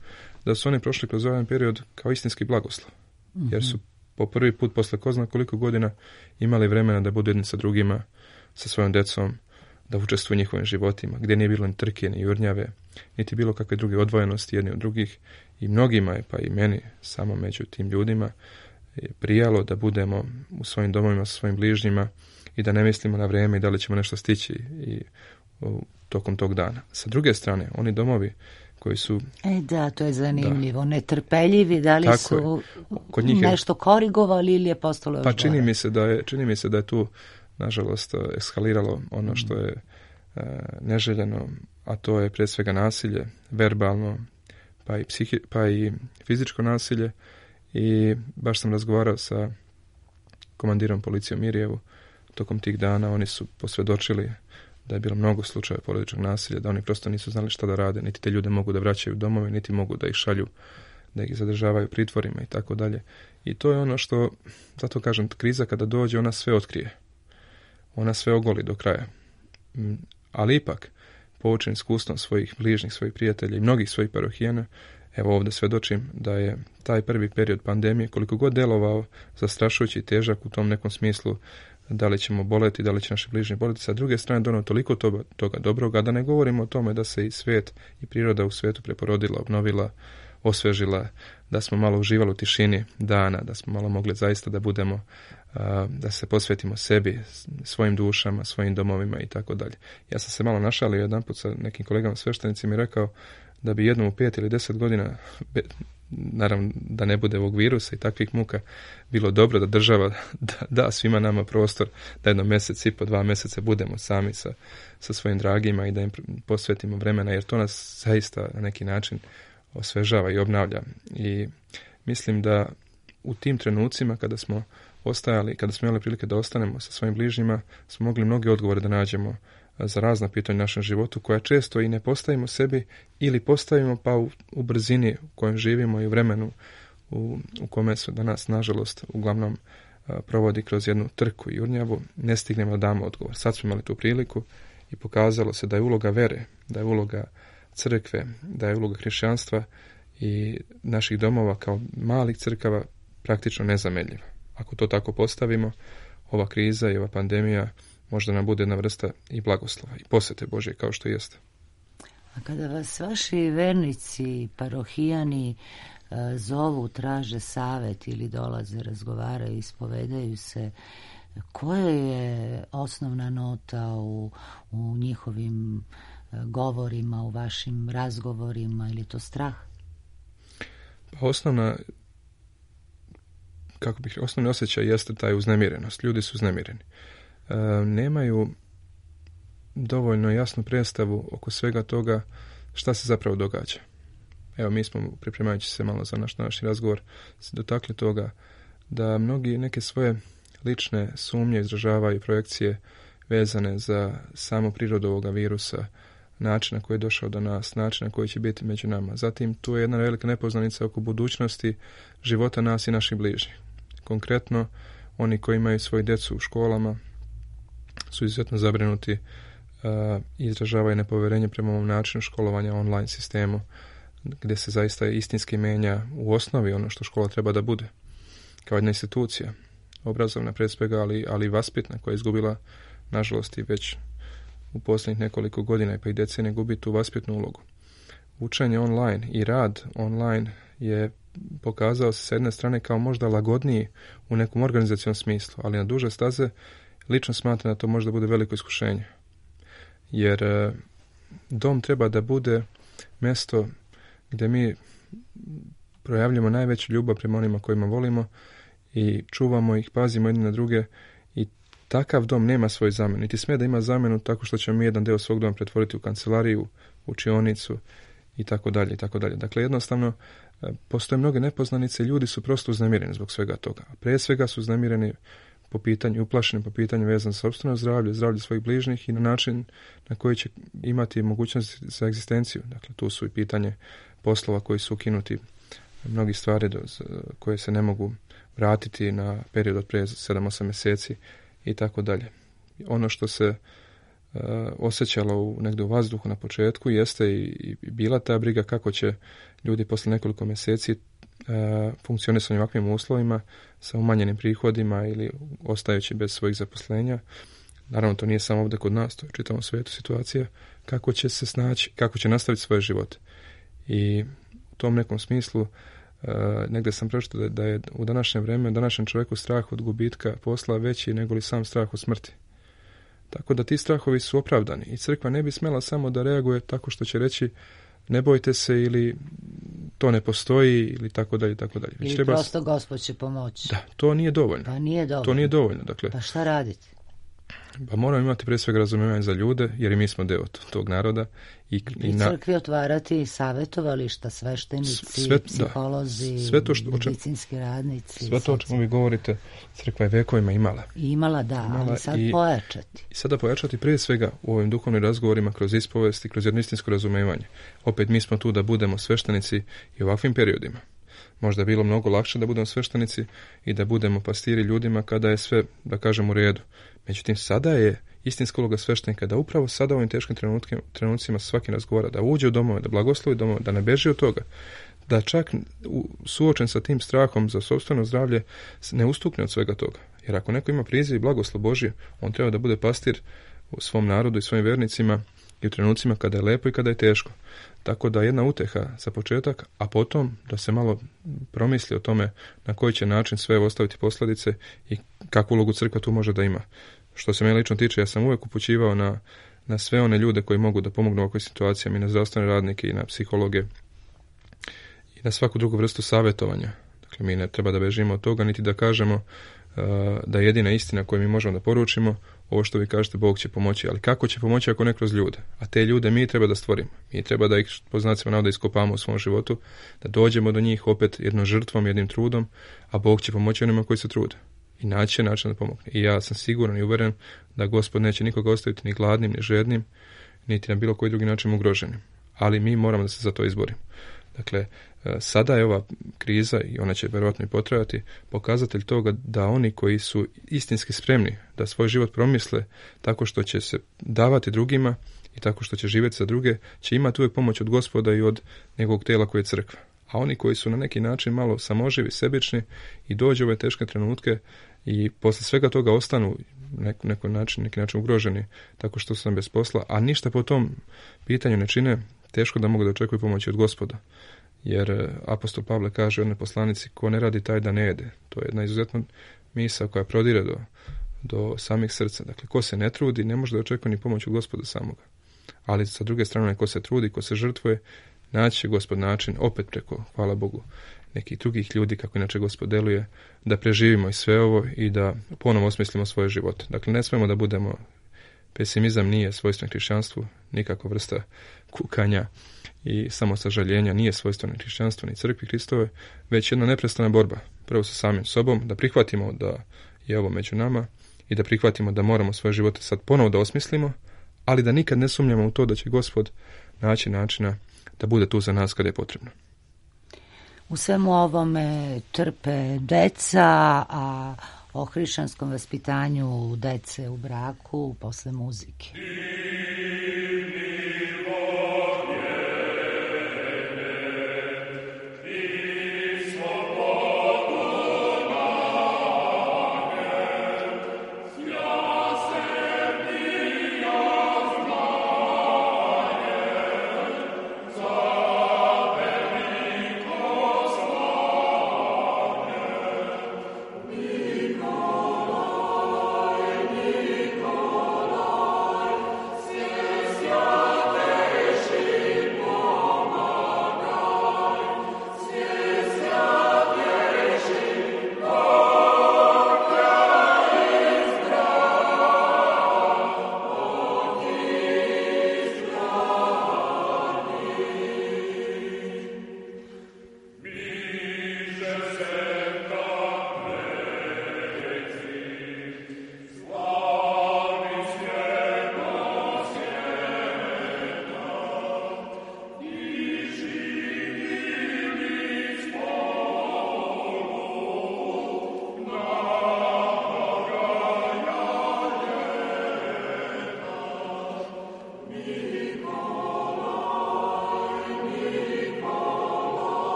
da su oni prošli kroz ovaj period kao istinski blagoslov. Jer su po prvi put posle ko zna koliko godina imali vremena da budu jedni sa drugima, sa svojom decom, da učestvuju u njihovim životima, gdje nije bilo ni trke, ni jurnjave, niti bilo kakve druge odvojenosti jedni od drugih. I mnogima je, pa i meni, samo među tim ljudima, prijalo da budemo u svojim domovima sa svojim bližnjima i da ne mislimo na vrijeme i da li ćemo nešto stići i tokom tog dana. Sa druge strane, oni domovi koji su... Da, to je zanimljivo. Netrpeljivi, da li su kod njih nešto korigovali ili je postalo još pa gore? Čini mi se da je tu, nažalost, eskaliralo ono što je neželjeno, a to je prije svega nasilje, verbalno, pa i fizičko nasilje. I baš sam razgovarao sa komandirom policije u Mirjevu tokom tih dana. Oni su posvjedočili da je bilo mnogo slučajeva porodičnog nasilja, da oni prosto nisu znali šta da rade, niti te ljude mogu da vraćaju u domove, niti mogu da ih šalju, da ih zadržavaju u pritvorima i tako dalje. I to je ono što, zato kažem, kriza kada dođe, ona sve otkrije. Ona sve ogoli do kraja. Ali ipak, poučen iskustvom svojih bližnjih, svojih prijatelja i mnogih svojih parohijana, evo ovdje svjedočim da je taj prvi period pandemije, koliko god delovao zastrašujući i težak u tom nekom smislu, da li ćemo boleti, da li će naši bližnji boleti, sa druge strane donio toliko toga dobroga, da ne govorimo o tome da se i svijet i priroda u svijetu preporodila, obnovila, osvežila, da smo malo uživali u tišini dana, da smo malo mogli zaista da budemo, da se posvetimo sebi, svojim dušama, svojim domovima i tako dalje. Ja sam se malo našalio jedanput sa nekim kolegama sveštenicima i rekao da bi jednom u 5 ili 10 godina, naravno da ne bude ovog virusa i takvih muka, bilo dobro da država da svima nama prostor da jedno mjesec i po 2 mjeseca budemo sami sa svojim dragima i da im posvetimo vremena, jer to nas zaista na neki način osvežava i obnavlja. I mislim da u tim trenucima kada smo ostajali, kada smo imali prilike da ostanemo sa svojim bližnjima, smo mogli mnoge odgovore da nađemo za razna pitanja u našem životu, koja često i ne postavimo sebi ili postavimo pa u brzini u kojem živimo i u vremenu u kome se danas, nažalost, uglavnom provodi kroz jednu trku i jurnjavu, ne stignemo da damo odgovor. Sad smo imali tu priliku i pokazalo se da je uloga vere, da je uloga crkve, da je uloga hrišćanstva i naših domova kao malih crkava praktično nezamjenjiva. Ako to tako postavimo, ova kriza i ova pandemija možda nam bude jedna vrsta i blagoslova i posvete Božje kao što jeste. A kada vas vaši vernici, parohijani zovu, traže savjet ili dolaze, razgovaraju, ispovedaju se, koja je osnovna nota u njihovim govorima, u vašim razgovorima, ili to strah? Pa osnovni osjećaj jeste taj uznemirenost. Ljudi su uznemireni. Nemaju dovoljno jasnu predstavu oko svega toga šta se zapravo događa. Evo, mi smo, pripremajući se malo za naš današnji razgovor, se dotakli toga da mnogi neke svoje lične sumnje izražavaju, projekcije vezane za samu prirodu ovoga virusa, način na koji je došao do nas, način na koji će biti među nama. Zatim, tu je jedna velika nepoznanica oko budućnosti života nas i naših bližnjih. Konkretno, oni koji imaju svoju djecu u školama su izuzetno zabrinuti i izražavaju nepovjerenje prema ovom načinu školovanja online sistemu, gdje se zaista istinski menja u osnovi ono što škola treba da bude. Kao jedna institucija, obrazovna pred svega, ali i vaspitna, koja je izgubila, nažalost, i već u posljednjih nekoliko godina i decenije gubi tu vaspitnu ulogu. Učenje online i rad online je pokazao se s jedne strane kao možda lagodniji u nekom organizacijom smislu, ali na duže staze lično smatram da to možda bude veliko iskušenje. Jer dom treba da bude mjesto gdje mi projavljamo najveću ljubav prema onima kojima volimo i čuvamo ih, pazimo jedni na druge i takav dom nema svoj zamenu. Niti smije da ima zamenu tako što ćemo mi jedan dio svog doma pretvoriti u kancelariju, učionicu i tako dalje i tako dalje. Dakle, jednostavno postoje mnoge nepoznanice i ljudi su prosto uznemireni zbog svega toga. A prije svega su uznemireni po pitanju, uplašeni po pitanju vezano za sopstveno zdravlje, zdravlje svojih bližnjih i na način na koji će imati mogućnost za egzistenciju. Dakle, tu su i pitanje poslova koji su ukinuti, mnogi stvari koje se ne mogu vratiti na period od prije 7-8 mjeseci i tako dalje. Ono što se osjećalo negdje u vazduhu na početku jeste i bila ta briga kako će ljudi posle nekoliko mjeseci funkcionisati u ovakvim uslovima sa umanjenim prihodima ili ostajući bez svojih zaposlenja. Naravno, to nije samo ovdje kod nas, to je u čitavom svijetu situacija, kako će se snaći, kako će nastaviti svoje živote. I u tom nekom smislu negdje sam pročitao da je u današnje vrijeme, u današnjem čovjeku strah od gubitka posla veći nego li sam strah od smrti. Tako da ti strahovi su opravdani i crkva ne bi smjela samo da reaguje tako što će reći ne bojte se ili to ne postoji ili tako dalje, tako dalje. Ili treba... prosto Gospod će pomoći. Da, to nije dovoljno. Pa nije dovoljno. To nije dovoljno. Dakle, pa šta raditi? Pa moramo imati prije svega razumijevanje za ljude, jer i mi smo deo tog naroda. I crkvi otvarati savjetovališta, sveštenici, psiholozi, medicinski radnici. Sve to o čemu vi govorite, crkva je vekovima imala. Imala, ali sad pojačati. I sada pojačati prije svega u ovim duhovnim razgovorima, kroz ispovesti, kroz jedno istinsko razumijevanje. Opet mi smo tu da budemo sveštenici i u ovakvim periodima. Možda je bilo mnogo lakše da budemo sveštenici i da budemo pastiri ljudima kada je sve, da kažem, u redu. Međutim, sada je istinska uloga sveštenika da upravo sada u ovim teškim trenucima sa svakim razgovara, da uđe u domove, da blagoslovi domove, da ne beži od toga, da čak suočen sa tim strahom za sopstveno zdravlje ne ustukne od svega toga. Jer ako neko ima priziv i blagoslov Božje, on treba da bude pastir u svom narodu i svojim vernicima i u trenucima kada je lepo i kada je teško. Tako da jedna uteha za početak, a potom da se malo promisli o tome na koji će način sve ostaviti posljedice i kakvu ulogu crkva tu može da ima. Što se mene lično tiče, ja sam uvijek upućivao na sve one ljude koji mogu da pomognu u ovakvoj situacijama, i na zdravstvene radnike i na psihologe i na svaku drugu vrstu savjetovanja. Dakle, mi ne treba da bežimo od toga, niti da kažemo da je jedina istina koju mi možemo da poručimo ovo što vi kažete, Bog će pomoći, ali kako će pomoći ako ne kroz ljude? A te ljude mi treba da stvorimo. Mi treba da ih, po znacima navoda, iskopamo u svom životu, da dođemo do njih opet jednom žrtvom, jednim trudom, a Bog će pomoći onima koji se trude. I naći će način da pomogne. I ja sam siguran i uveren da Gospod neće nikoga ostaviti ni gladnim, ni žednim, niti na bilo koji drugi način ugroženim. Ali mi moramo da se za to izborimo. Dakle, sada je ova kriza, i ona će vjerojatno i potrajati, pokazatelj toga da oni koji su istinski spremni da svoj život promisle tako što će se davati drugima i tako što će živjeti za druge, će imati uvijek pomoć od Gospoda i od njegovog tijela koje je crkva. A oni koji su na neki način malo samoživi, sebični i dođu u ove teške trenutke i posle svega toga ostanu neki način ugroženi tako što su nam bez posla, a ništa po tom pitanju ne čine, teško da mogu da očekuju pomoći od Gospoda. Jer apostol Pavle kaže u jednoj poslanici, ko ne radi taj da ne jede. To je jedna izuzetna misao koja prodire do samih srca. Dakle, ko se ne trudi, ne može da očekuje ni pomoć od Gospoda samoga. Ali sa druge strane, ko se trudi, ko se žrtvuje, naći će Gospod način, opet preko, hvala Bogu, nekih drugih ljudi, kako inače Gospod deluje, da preživimo i sve ovo i da ponovo osmislimo svoje živote. Dakle, ne smemo da budemo, pesimizam nije svojstven hrišćanstvu, nikakva vrsta kukanja i samosažaljenja nije svojstveno hrišćanstvu ni crkvi Hristove, već jedna neprestana borba, prvo sa samim sobom, da prihvatimo da je ovo među nama i da prihvatimo da moramo svoje živote sad ponovo da osmislimo, ali da nikad ne sumnjamo u to da će Gospod naći načina da bude tu za nas kada je potrebno. U svemu ovome trpe deca, a o hrišćanskom vaspitanju dece u braku posle muzike.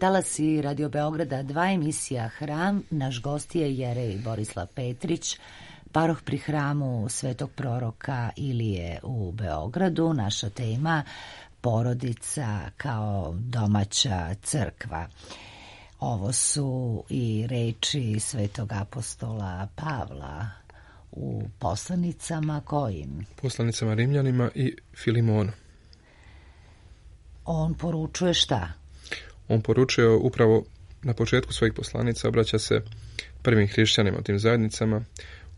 talasi Radio Beograda 2, emisija Hram. Naš gost je Jerej Borislav Petrić, paroh pri hramu Svetog proroka Ilije u Beogradu. Naša tema porodica kao domaća crkva. Ovo su i reči svetog apostola Pavla u poslanicama kojim? Poslanicama Rimljanima i Filimonu. On poručuje šta? On poručuje upravo na početku svojih poslanica, obraća se prvim hrišćanima u tim zajednicama.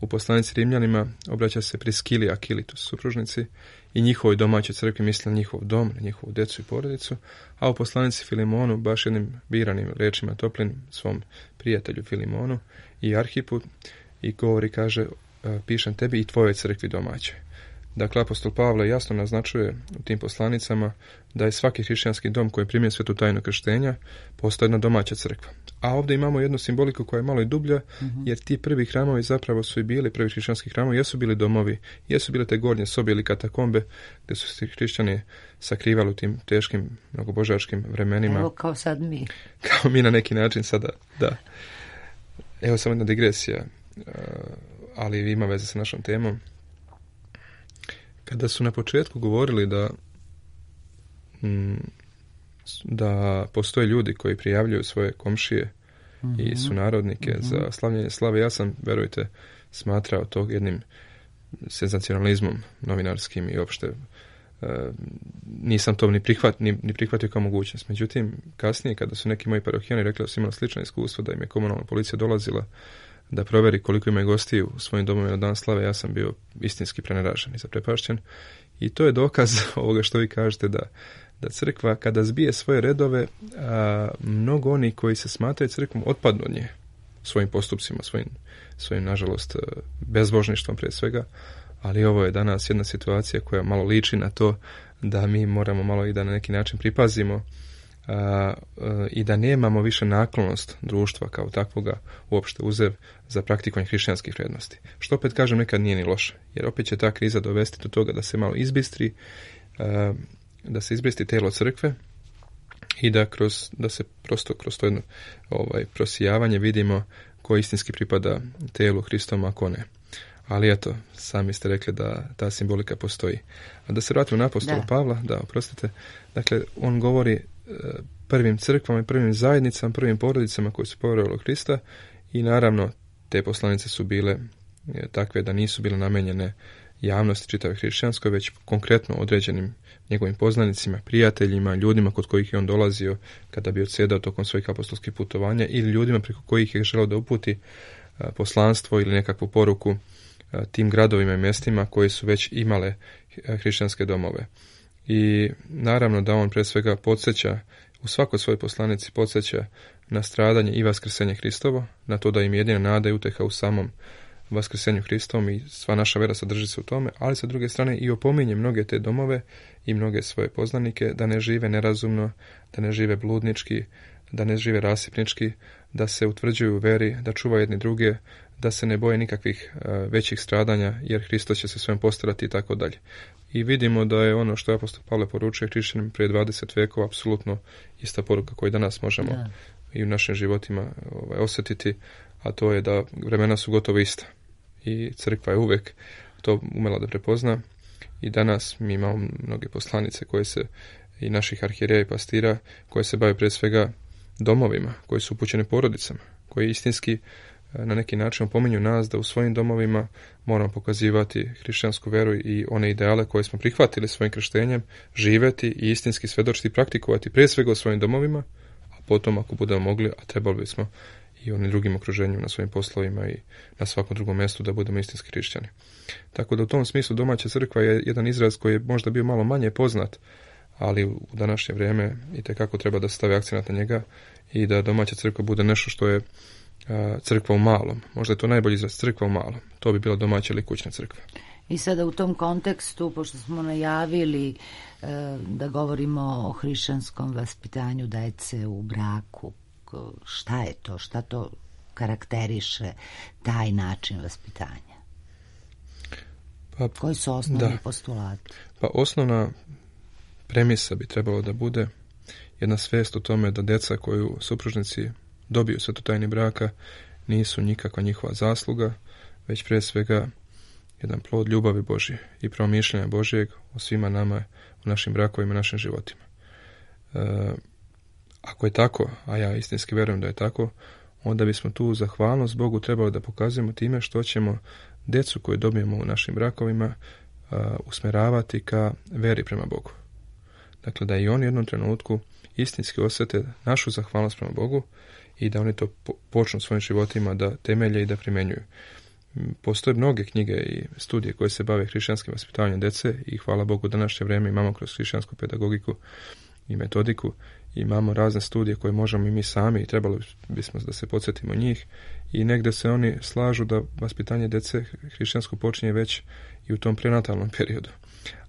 U poslanici Rimljanima obraća se Priskili i Akili, to su supružnici, i njihovoj domaćoj crkvi, misli na njihov dom, na njihovu djecu i porodicu, a u poslanici Filimonu baš jednim biranim rečima toplim svom prijatelju Filimonu i Arhipu i govori, kaže, pišem tebi i tvojoj crkvi domaćoj. Dakle, apostol Pavle jasno naznačuje u tim poslanicama da je svaki hrišćanski dom koji je primio svetu tajnu krštenja postoji jedna domaća crkva. A ovdje imamo jednu simboliku koja je malo i dublja, jer ti prvi hramovi zapravo su i bili, prvi hrišćanski hramovi jesu bili domovi, jesu bile te gornje sobe ili katakombe gdje su se hrišćani sakrivali u tim teškim mnogobožačkim vremenima. Evo kao sad mi. Kao mi na neki način sada, da. Evo samo jedna digresija, ali ima veze sa našom temom. Kada su na početku govorili da postoje ljudi koji prijavljuju svoje komšije i sunarodnike za slavljenje slave, ja sam, verujte, smatrao to jednim senzacionalizmom novinarskim i uopšte nisam to ni prihvatio kao mogućnost. Međutim, kasnije, kada su neki moji parohijani rekli da su imali slično iskustvo, da im je komunalna policija dolazila da proveri koliko ima gostiju u svojim domovima na dan slave, ja sam bio istinski preneražen i zaprepašćen. I to je dokaz ovoga što vi kažete, da crkva kada zbije svoje redove, mnogo oni koji se smatraju crkvom otpadnu od nje svojim postupcima, svojim nažalost bezbožništvom prije svega, ali ovo je danas jedna situacija koja malo liči na to da mi moramo malo i da na neki način pripazimo i da nemamo više naklonost društva kao takvoga uopšte uzev za praktikovanje hrišćanskih vrijednosti. Što opet kažem, nekad nije ni loše, jer opet će ta kriza dovesti do toga da se malo izbistri, da se izbistri telo crkve i da se prosto kroz to jedno prosijavanje vidimo ko istinski pripada telu Hristovom, a ko ne. Ali eto, sami ste rekli da ta simbolika postoji. A da se vratimo na apostola Pavla, oprostite, dakle, on govori prvim crkvama i prvim zajednicama, prvim porodicama koji su povjerovali u Krista i naravno te poslanice su bile takve da nisu bile namenjene javnosti čitave hrišćanskoj, već konkretno određenim njegovim poznanicima, prijateljima, ljudima kod kojih je on dolazio kada bi odsjedao tokom svojih apostolskih putovanja ili ljudima preko kojih je želeo da uputi poslanstvo ili nekakvu poruku tim gradovima i mjestima koji su već imale hrišćanske domove. I naravno da on pre svega podsjeća, u svakoj svojoj poslanici podsjeća na stradanje i vaskrsenje Hristovo, na to da im jedina nada i uteha u samom vaskrsenju Hristovom i sva naša vera sadrži se u tome, ali sa druge strane i opominje mnoge te domove i mnoge svoje poznanike da ne žive nerazumno, da ne žive bludnički, da ne žive rasipnički, da se utvrđuju u veri, da čuvaju jedni druge, da se ne boje nikakvih većih stradanja, jer Hristos će se svojom postarati i tako dalje. I vidimo da je ono što je apostol Pavle poručuje hrišćanima prije 20 vekova apsolutno ista poruka koju danas možemo i u našim životima osjetiti, a to je da vremena su gotovo ista. I crkva je uvek to umela da prepozna i danas mi imamo mnoge poslanice koje se, i naših arhijereja i pastira, koje se bave prije svega domovima, koji su upućeni porodicama, koji istinski na neki način opominju nas da u svojim domovima moramo pokazivati hrišćansku veru i one ideale koje smo prihvatili svojim krštenjem, živjeti i istinski svedočiti i praktikovati prije svega u svojim domovima, a potom ako budemo mogli, a trebali bismo i onim drugim okruženju na svojim poslovima i na svakom drugom mjestu da budemo istinski hrišćani. Tako da u tom smislu domaća crkva je jedan izraz koji je možda bio malo manje poznat, ali u današnje vrijeme itekako treba da se stavi akcenat na njega i da domaća crkva bude nešto što je crkva u malom. Možda je to najbolji izraz, crkva u malom. To bi bila domaća ili kućna crkva. I sada u tom kontekstu, pošto smo najavili da govorimo o hrišćanskom vaspitanju dece u braku, šta je to? Šta to karakteriše taj način vaspitanja? Koji su osnovni postulati? Pa osnovna premisa bi trebalo da bude jedna svijest o tome da djeca koju supružnici dobiju svetotajni braka nisu nikakva njihova zasluga, već prije svega jedan plod ljubavi Božje i promišljanja Božjeg o svima nama u našim brakovima i našim životima. Ako je tako, a ja istinski vjerujem da je tako, onda bismo tu zahvalnost Bogu trebali da pokazujemo time što ćemo djecu koju dobijemo u našim brakovima usmjeravati ka veri prema Bogu. Dakle, da i oni u jednom trenutku istinski osjete našu zahvalnost prema Bogu i da oni to počnu svojim životima da temelje i da primjenjuju. Postoje mnoge knjige i studije koje se bave hrišćanskim vaspitavanjem djece i hvala Bogu današnje vrijeme imamo kroz hrišćansku pedagogiku i metodiku, imamo razne studije koje možemo i mi sami i trebali bismo da se podsjetimo njih i negdje se oni slažu da vaspitanje djece hrišćansko počinje već i u tom prenatalnom periodu.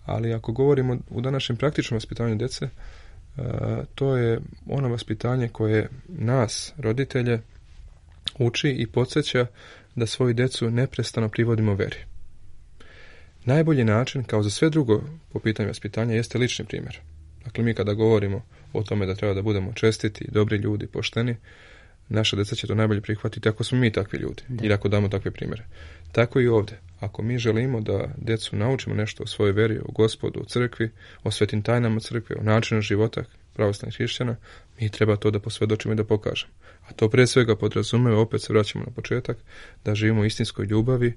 Ali ako govorimo u današnjem praktičnom vaspitanju djece, to je ono vaspitanje koje nas, roditelje, uči i podsjeća da svoju djecu neprestano privodimo veri. Najbolji način, kao za sve drugo po pitanju vaspitanja, jeste lični primjer. Dakle, mi kada govorimo o tome da treba da budemo čestiti, dobri ljudi, pošteni, naša djeca će to najbolje prihvatiti ako smo mi takvi ljudi ili ako damo takve primjere. Tako i ovdje. Ako mi želimo da djecu naučimo nešto o svojoj veri, o Gospodu, o crkvi, o svetim tajnama crkve, o načinu života pravoslavnih hrišćana, mi treba to da posvjedočimo i da pokažemo. A to prije svega podrazumijeva, opet se vraćamo na početak, da živimo u istinskoj ljubavi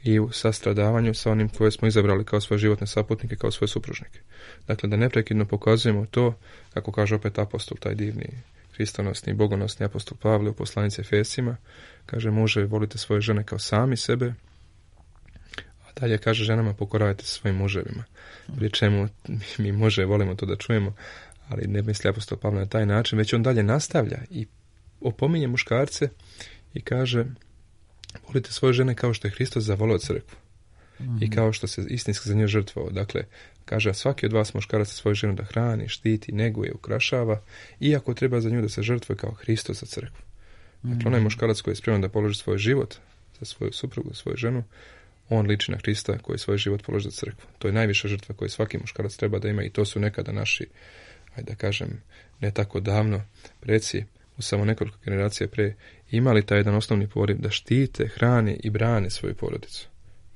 i u sastradavanju sa onim koje smo izabrali kao svoje životne saputnike, kao svoje supružnike. Dakle, da neprekidno pokazujemo to, kako kaže opet apostol, taj divni hristonosni i bogonosni apostol Pavle u poslanici Efesima, kaže, muže, volite svoje žene kao sami sebe, a dalje kaže, ženama pokoravajte svojim muževima. Pri čemu mi muže volimo to da čujemo, ali ne misli apostol Pavle na taj način, već on dalje nastavlja i opominje muškarce i kaže, volite svoje žene kao što je Hristos zavolio crkvu i kao što se istinski za nju žrtvovao. Dakle, kaže, a svaki od vas muškaraca svoju ženu da hrani, štiti, neguje, ukrašava, iako treba za nju da se žrtvuje kao Hristos za crkvu. Dakle, onaj muškarac koji je spreman da položi svoj život za svoju suprugu, za svoju ženu, on liči na Hrista koji svoj život položi za crkvu. To je najviša žrtva koju svaki muškarac treba da ima i to su nekada naši, ajde da kažem, ne tako davno preci, u samo nekoliko generacija pre, imali taj jedan osnovni poriv da štite, hrane i brane svoju porodicu.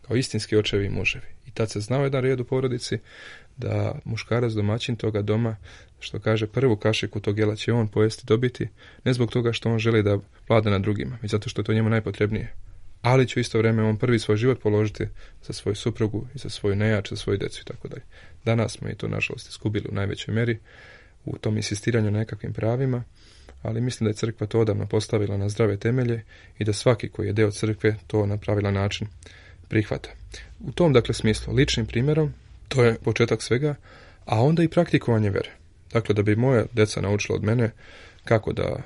Kao istinski očevi i muževi. I tad se znao jedan red u porodici da muškarac domaćin toga doma, što kaže, prvu kašiku tog jela će on pojesti, dobiti, ne zbog toga što on želi da vlada nad drugima, već zato što je to njemu najpotrebnije. Ali će u isto vrijeme on prvi svoj život položiti za svoju suprugu i za svoju nejač, za svoju djecu i tako dalje. Danas smo i to nažalost izgubili u najvećoj meri u tom insistiranju na nekakvim pravima, ali mislim da je crkva to odavno postavila na zdrave temelje i da svaki koji je deo crkve to na pravilan način prihvata. U tom, dakle, smislu, ličnim primjerom, to je početak svega, a onda i praktikovanje vere. Dakle, da bi moja djeca naučila od mene kako da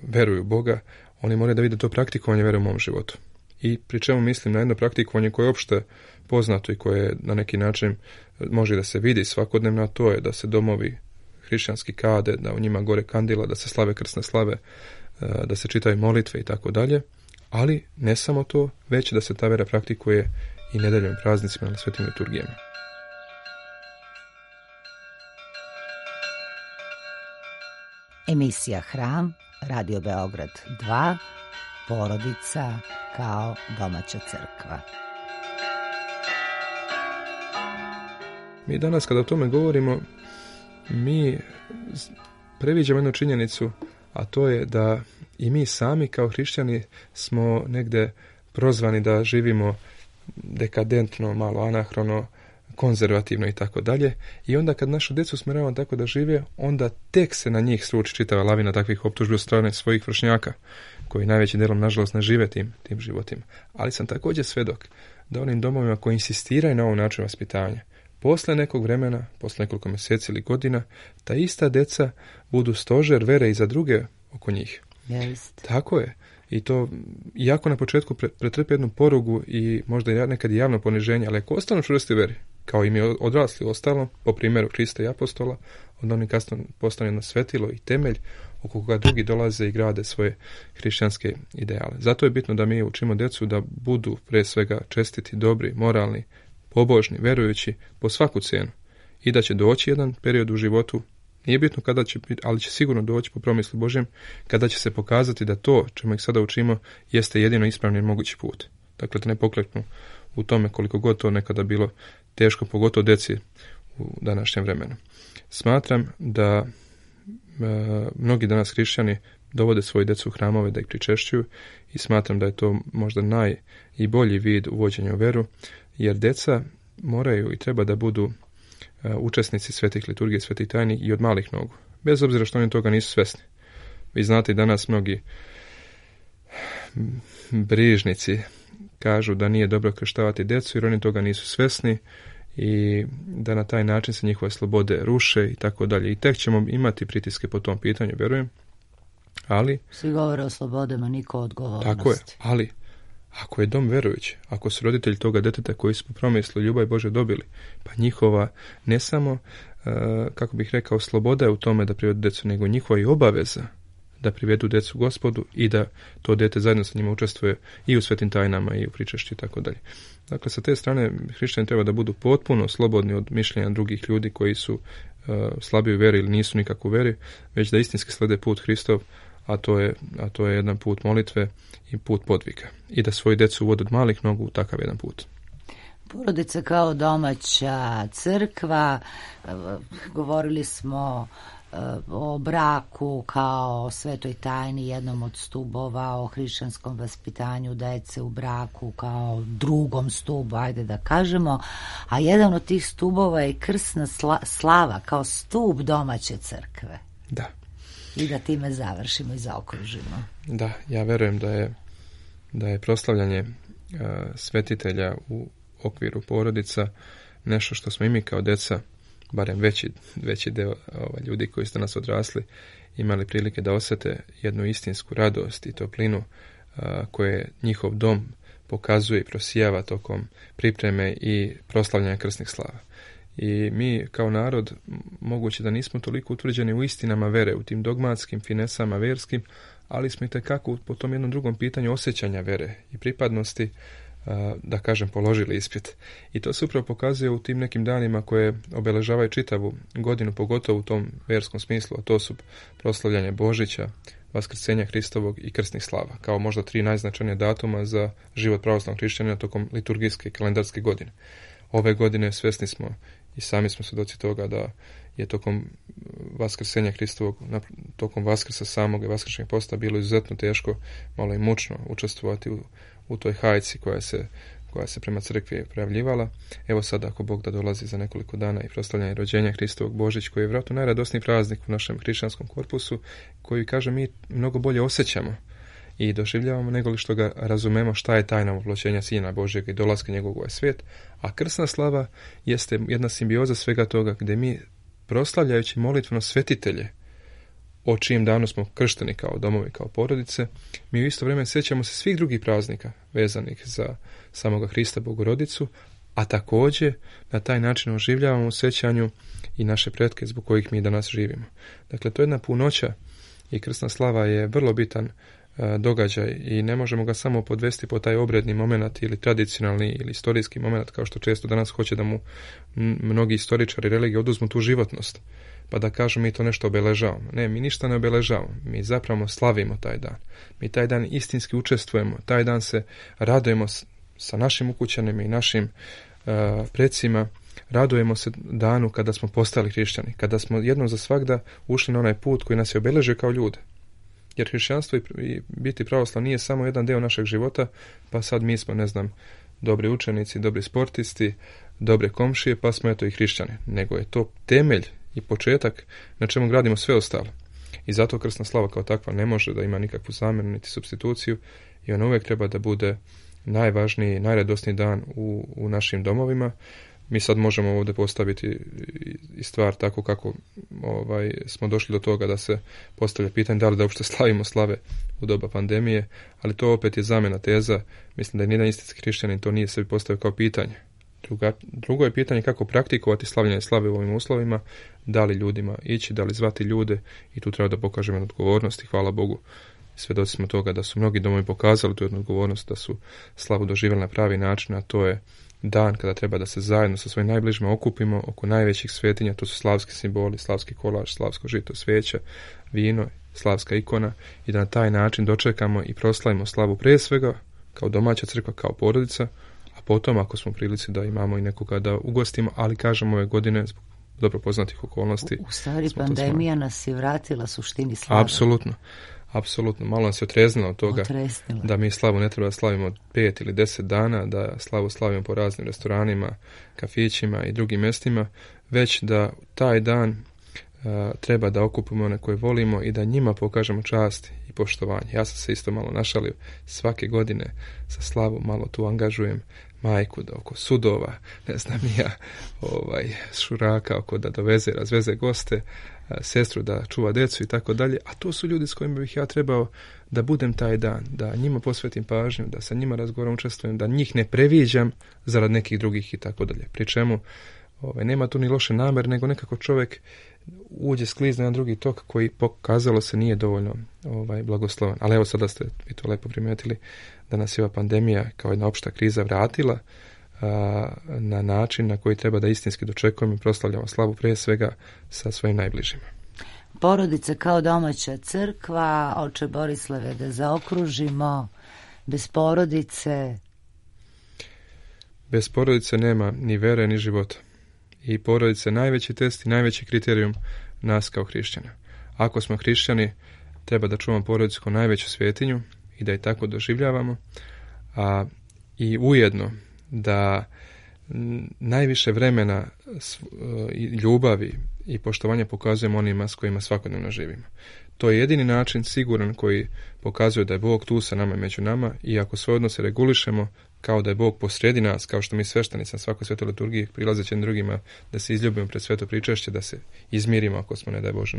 veruju u Boga, oni moraju da vide to praktikovanje vere u mom životu. I pri čemu mislim na jedno praktikovanje koje je opšte poznato i koje na neki način može da se vidi svakodnevno, a to je da se domovi hrišćanski kade, da u njima gore kandila, da se slave krsne slave, da se čitaju molitve i tako dalje, ali ne samo to, već da se ta vera praktikuje i nedeljom praznicima na svetim liturgijama. Emisija Hram, Radio Beograd 2, porodica kao domaća crkva. Mi danas kada o tome govorimo, mi previđamo jednu činjenicu, a to je da i mi sami kao hrišćani smo negde prozvani da živimo dekadentno, malo anahrono, konzervativno i tako dalje. I onda kad našu djecu usmjeravamo tako da žive, onda tek se na njih sruči čitava lavina takvih optužbi od strane svojih vršnjaka, koji najvećim delom nažalost ne žive tim životima. Ali sam također svedok da onim domovima koji insistiraju na ovom načinu vaspitanja, posle nekog vremena, posle nekoliko mjeseci ili godina, ta ista deca budu stožer vere i za druge oko njih. Yes. Tako je. I to, iako na početku pretrpe jednu porugu i možda i nekad javno poniženje, ali ako ostanu čvrsti veri, kao i mi odrasli ostalo, po primjeru Hrista i apostola, onda oni kasno postane jedno svetilo i temelj oko koga drugi dolaze i grade svoje hrišćanske ideale. Zato je bitno da mi učimo djecu da budu pre svega čestiti, dobri, moralni, pobožni, verujući po svaku cijenu i da će doći jedan period u životu, Nije bitno kada će biti, ali će sigurno doći po promislu Božjem, kada će se pokazati da to čemu ih sada učimo jeste jedino ispravni i mogući put. Dakle, da ne pokleknu u tome koliko god to nekada bilo teško, pogotovo djeci u današnjem vremenu. Smatram da mnogi danas hrišćani dovode svoje djecu u hramove da ih pričešćuju i smatram da je to možda najbolji vid uvođenja u veru, jer djeca moraju i treba da budu učesnici svetih liturgije, svetih tajni i od malih nogu, bez obzira što oni toga nisu svesni. Vi znate, danas mnogi brižnici kažu da nije dobro krštavati djecu jer oni toga nisu svesni i da na taj način se njihove slobode ruše i tako dalje. I tek ćemo imati pritiske po tom pitanju, vjerujem. Ali svi govore o slobodama, niko odgovornosti. Tako je, ali ako je dom verujući, ako su roditelji toga djeteta koji su po promislu ljubav Bože dobili, pa njihova ne samo, kako bih rekao, sloboda je u tome da privedu djecu, nego njihova i obaveza da privedu djecu Gospodu i da to dijete zajedno sa njima učestvuje i u svetim tajnama i u pričešću i tako dalje. Dakle, sa te strane hrišćani treba da budu potpuno slobodni od mišljenja drugih ljudi koji su slabiji u veri ili nisu nikako u veri, već da istinski slede put Hristov, a to je jedan put molitve i put podvika. I da svoju djecu uvode od malih nogu u takav jedan put. Porodica kao domaća crkva, govorili smo o braku kao svetoj tajni, jednom od stubova, o hrišćanskom vaspitanju djece u braku kao drugom stubu, ajde da kažemo, a jedan od tih stubova je krsna slava kao stub domaće crkve. Da. I da time završimo i zaokružimo. Da, ja verujem da je proslavljanje svetitelja u okviru porodica nešto što smo i mi kao djeca, barem veći deo ljudi koji su danas odrasli, imali prilike da osjete jednu istinsku radost i toplinu koje njihov dom pokazuje i prosijava tokom pripreme i proslavljanja krsnih slava. I mi kao narod, moguće da nismo toliko utvrđeni u istinama vere, u tim dogmatskim finesama verskim, ali smo itekako po tom jednom drugom pitanju osjećanja vere i pripadnosti, da kažem, položili ispit. I to se upravo pokazuje u tim nekim danima koje obeležavaju čitavu godinu, pogotovo u tom verskom smislu, a to su proslavljanje Božića, Vaskrsenja Hristovog i krsnih slava, kao možda 3 najznačajnija datuma za život pravoslavnog hrišćanina tokom liturgijske kalendarske godine. Ove godine svjesni smo i sami smo svjedoci toga da je tokom Vaskrsenja Hristovog, tokom Vaskrsa samog i Vaskršnjeg posta bilo izuzetno teško, malo i mučno učestvovati u toj hajci koja se prema crkvi prijavljivala. Evo sada, ako Bog da dolazi za nekoliko dana i proslavljanje rođenja Hristovog, Božić, koji je vjerojatno najradosniji praznik u našem hrišćanskom korpusu, koji, kažem, mi mnogo bolje osjećamo i doživljavamo nego li što ga razumemo šta je tajna uvločenja Sina Božjega i dolaska njegovog u ovaj svijet. A krsna slava jeste jedna simbioza svega toga gdje mi, proslavljajući molitveno svetitelje, o čijem danu smo kršteni kao domovi, kao porodice, mi u isto vrijeme sjećamo se svih drugih praznika vezanih za samoga Hrista Bogorodicu, a također na taj način oživljavamo u sjećanju i naše pretke zbog kojih mi danas živimo. Dakle, to je jedna punoća i krsna slava je vrlo bitan događaj i ne možemo ga samo podvesti po taj obredni moment ili tradicionalni ili istorijski moment, kao što često danas hoće da mu mnogi istoričari religije oduzmu tu životnost, pa da kažu mi to nešto obeležavamo. Ne, mi ništa ne obeležavamo, mi zapravo slavimo taj dan. Mi taj dan istinski učestvujemo, taj dan se radujemo sa našim ukućanima i našim predsima, radujemo se danu kada smo postali hrišćani, kada smo jednom za svagda ušli na onaj put koji nas je obeležio kao ljude. Jer hrišćanstvo i biti pravoslav nije samo jedan deo našeg života, pa sad mi smo, dobri učenici, dobri sportisti, dobre komšije, pa smo eto i hrišćani. Nego je to temelj i početak na čemu gradimo sve ostalo. I zato krsna slava kao takva ne može da ima nikakvu zamjenu niti supstituciju i ona uvijek treba da bude najvažniji, najradosniji dan u našim domovima. Mi sad možemo ovdje postaviti i stvar tako kako smo došli do toga da se postavlja pitanje da li da uopšte slavimo slave u doba pandemije, ali to opet je zamjena teza. Mislim da je nijedan istinski hrišćanin to nije sebi postavio kao pitanje. Drugo je pitanje kako praktikovati slavljenje slave u ovim uslovima, da li ljudima ići, da li zvati ljude i tu treba da pokažemo odgovornost i hvala Bogu. Svjedoci smo toga da su mnogi domovi pokazali tu jednu odgovornost, da su slavu doživjeli na pravi način, a to je dan kada treba da se zajedno sa svojim najbližima okupimo oko najvećih svetinja, to su slavski simboli, slavski kolač, slavsko žito, svijeća, vino, slavska ikona, i da na taj način dočekamo i proslavimo slavu prije svega kao domaća crkva, kao porodica, a potom ako smo u prilici da imamo i nekoga da ugostimo, ali kažemo ove godine zbog dobro poznatih okolnosti. U stvari pandemija nas je vratila suštini slave. Apsolutno. Malo nas je otreznila od toga da mi slavu ne treba da slavimo 5 ili 10 dana, da slavu slavimo po raznim restoranima, kafićima i drugim mjestima, već da taj dan treba da okupimo one koje volimo i da njima pokažemo čast i poštovanje. Ja sam se isto malo našalio, svake godine sa slavu malo tu angažujem majku da oko sudova, ne znam ja, šuraka oko da doveze, razveze goste, sestru da čuva djecu i tako dalje, a to su ljudi s kojima bih ja trebao da budem taj dan, da njima posvetim pažnju, da sa njima razgovaram, učestvujem, da njih ne previđam zarad nekih drugih i tako dalje. Pri čemu nema tu ni loše namere, nego nekako čovjek uđe, sklizne na drugi tok koji pokazalo se nije dovoljno blagoslovan. Ali evo sada ste vi to lepo primijetili da nas je ova pandemija kao jedna opšta kriza vratila na način na koji treba da istinski dočekujemo i proslavljamo slavu prije svega sa svojim najbližima. Porodica kao domaća crkva, oče Borislave, da zaokružimo, bez porodice. Bez porodice nema ni vere ni života. I porodica je najveći test i najveći kriterijum nas kao hrišćana. Ako smo hrišćani, treba da čuvamo porodicu kao najveću svetinju i da je tako doživljavamo, i ujedno da najviše vremena i ljubavi i poštovanja pokazujemo onima s kojima svakodnevno živimo. To je jedini način siguran koji pokazuje da je Bog tu sa nama i među nama, i ako svoje odnose regulišemo kao da je Bog posredi nas, kao što mi sveštenici na svakoj svetoj liturgiji prilazeći drugima da se izljubimo pred sveto pričešće, da se izmirimo ako smo, ne daj Bože,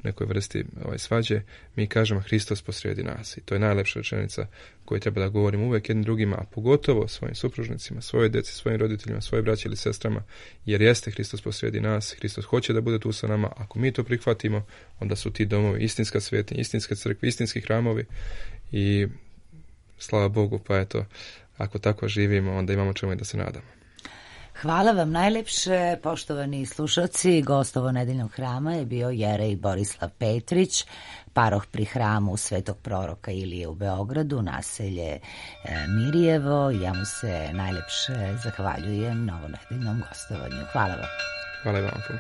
nekoj vrsti svađe, mi kažemo Hristos posredi nas. I to je najlepša rečenica koju treba da govorimo uvek jednim drugima, a pogotovo svojim supružnicima, svojoj djeci, svojim roditeljima, svojoj braći ili sestrama, jer jeste Hristos posredi nas, Hristos hoće da bude tu sa nama. Ako mi to prihvatimo, onda su ti domovi istinska svetinja, istinske crkve, istinski hramovi, i slava Bogu, pa eto, ako tako živimo, onda imamo čemu i da se nadamo. Hvala vam najlepše, poštovani slušalci. Gost ovo nedeljnog hrama je bio jerej Borislav Petrić, paroh pri hramu Svetog proroka Ilije u Beogradu, naselje Mirjevo. Ja mu se najlepše zahvaljujem na ovo nedeljnom gostovanju. Hvala vam. Hvala vam puno.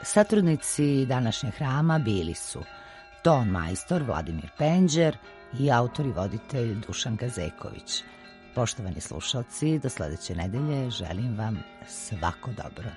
Satrudnici današnjeg hrama bili su ton majstor Vladimir Penđer i autor i voditelj Dušan Gazeković. Poštovani slušalci, do sledeće nedelje želim vam svako dobro.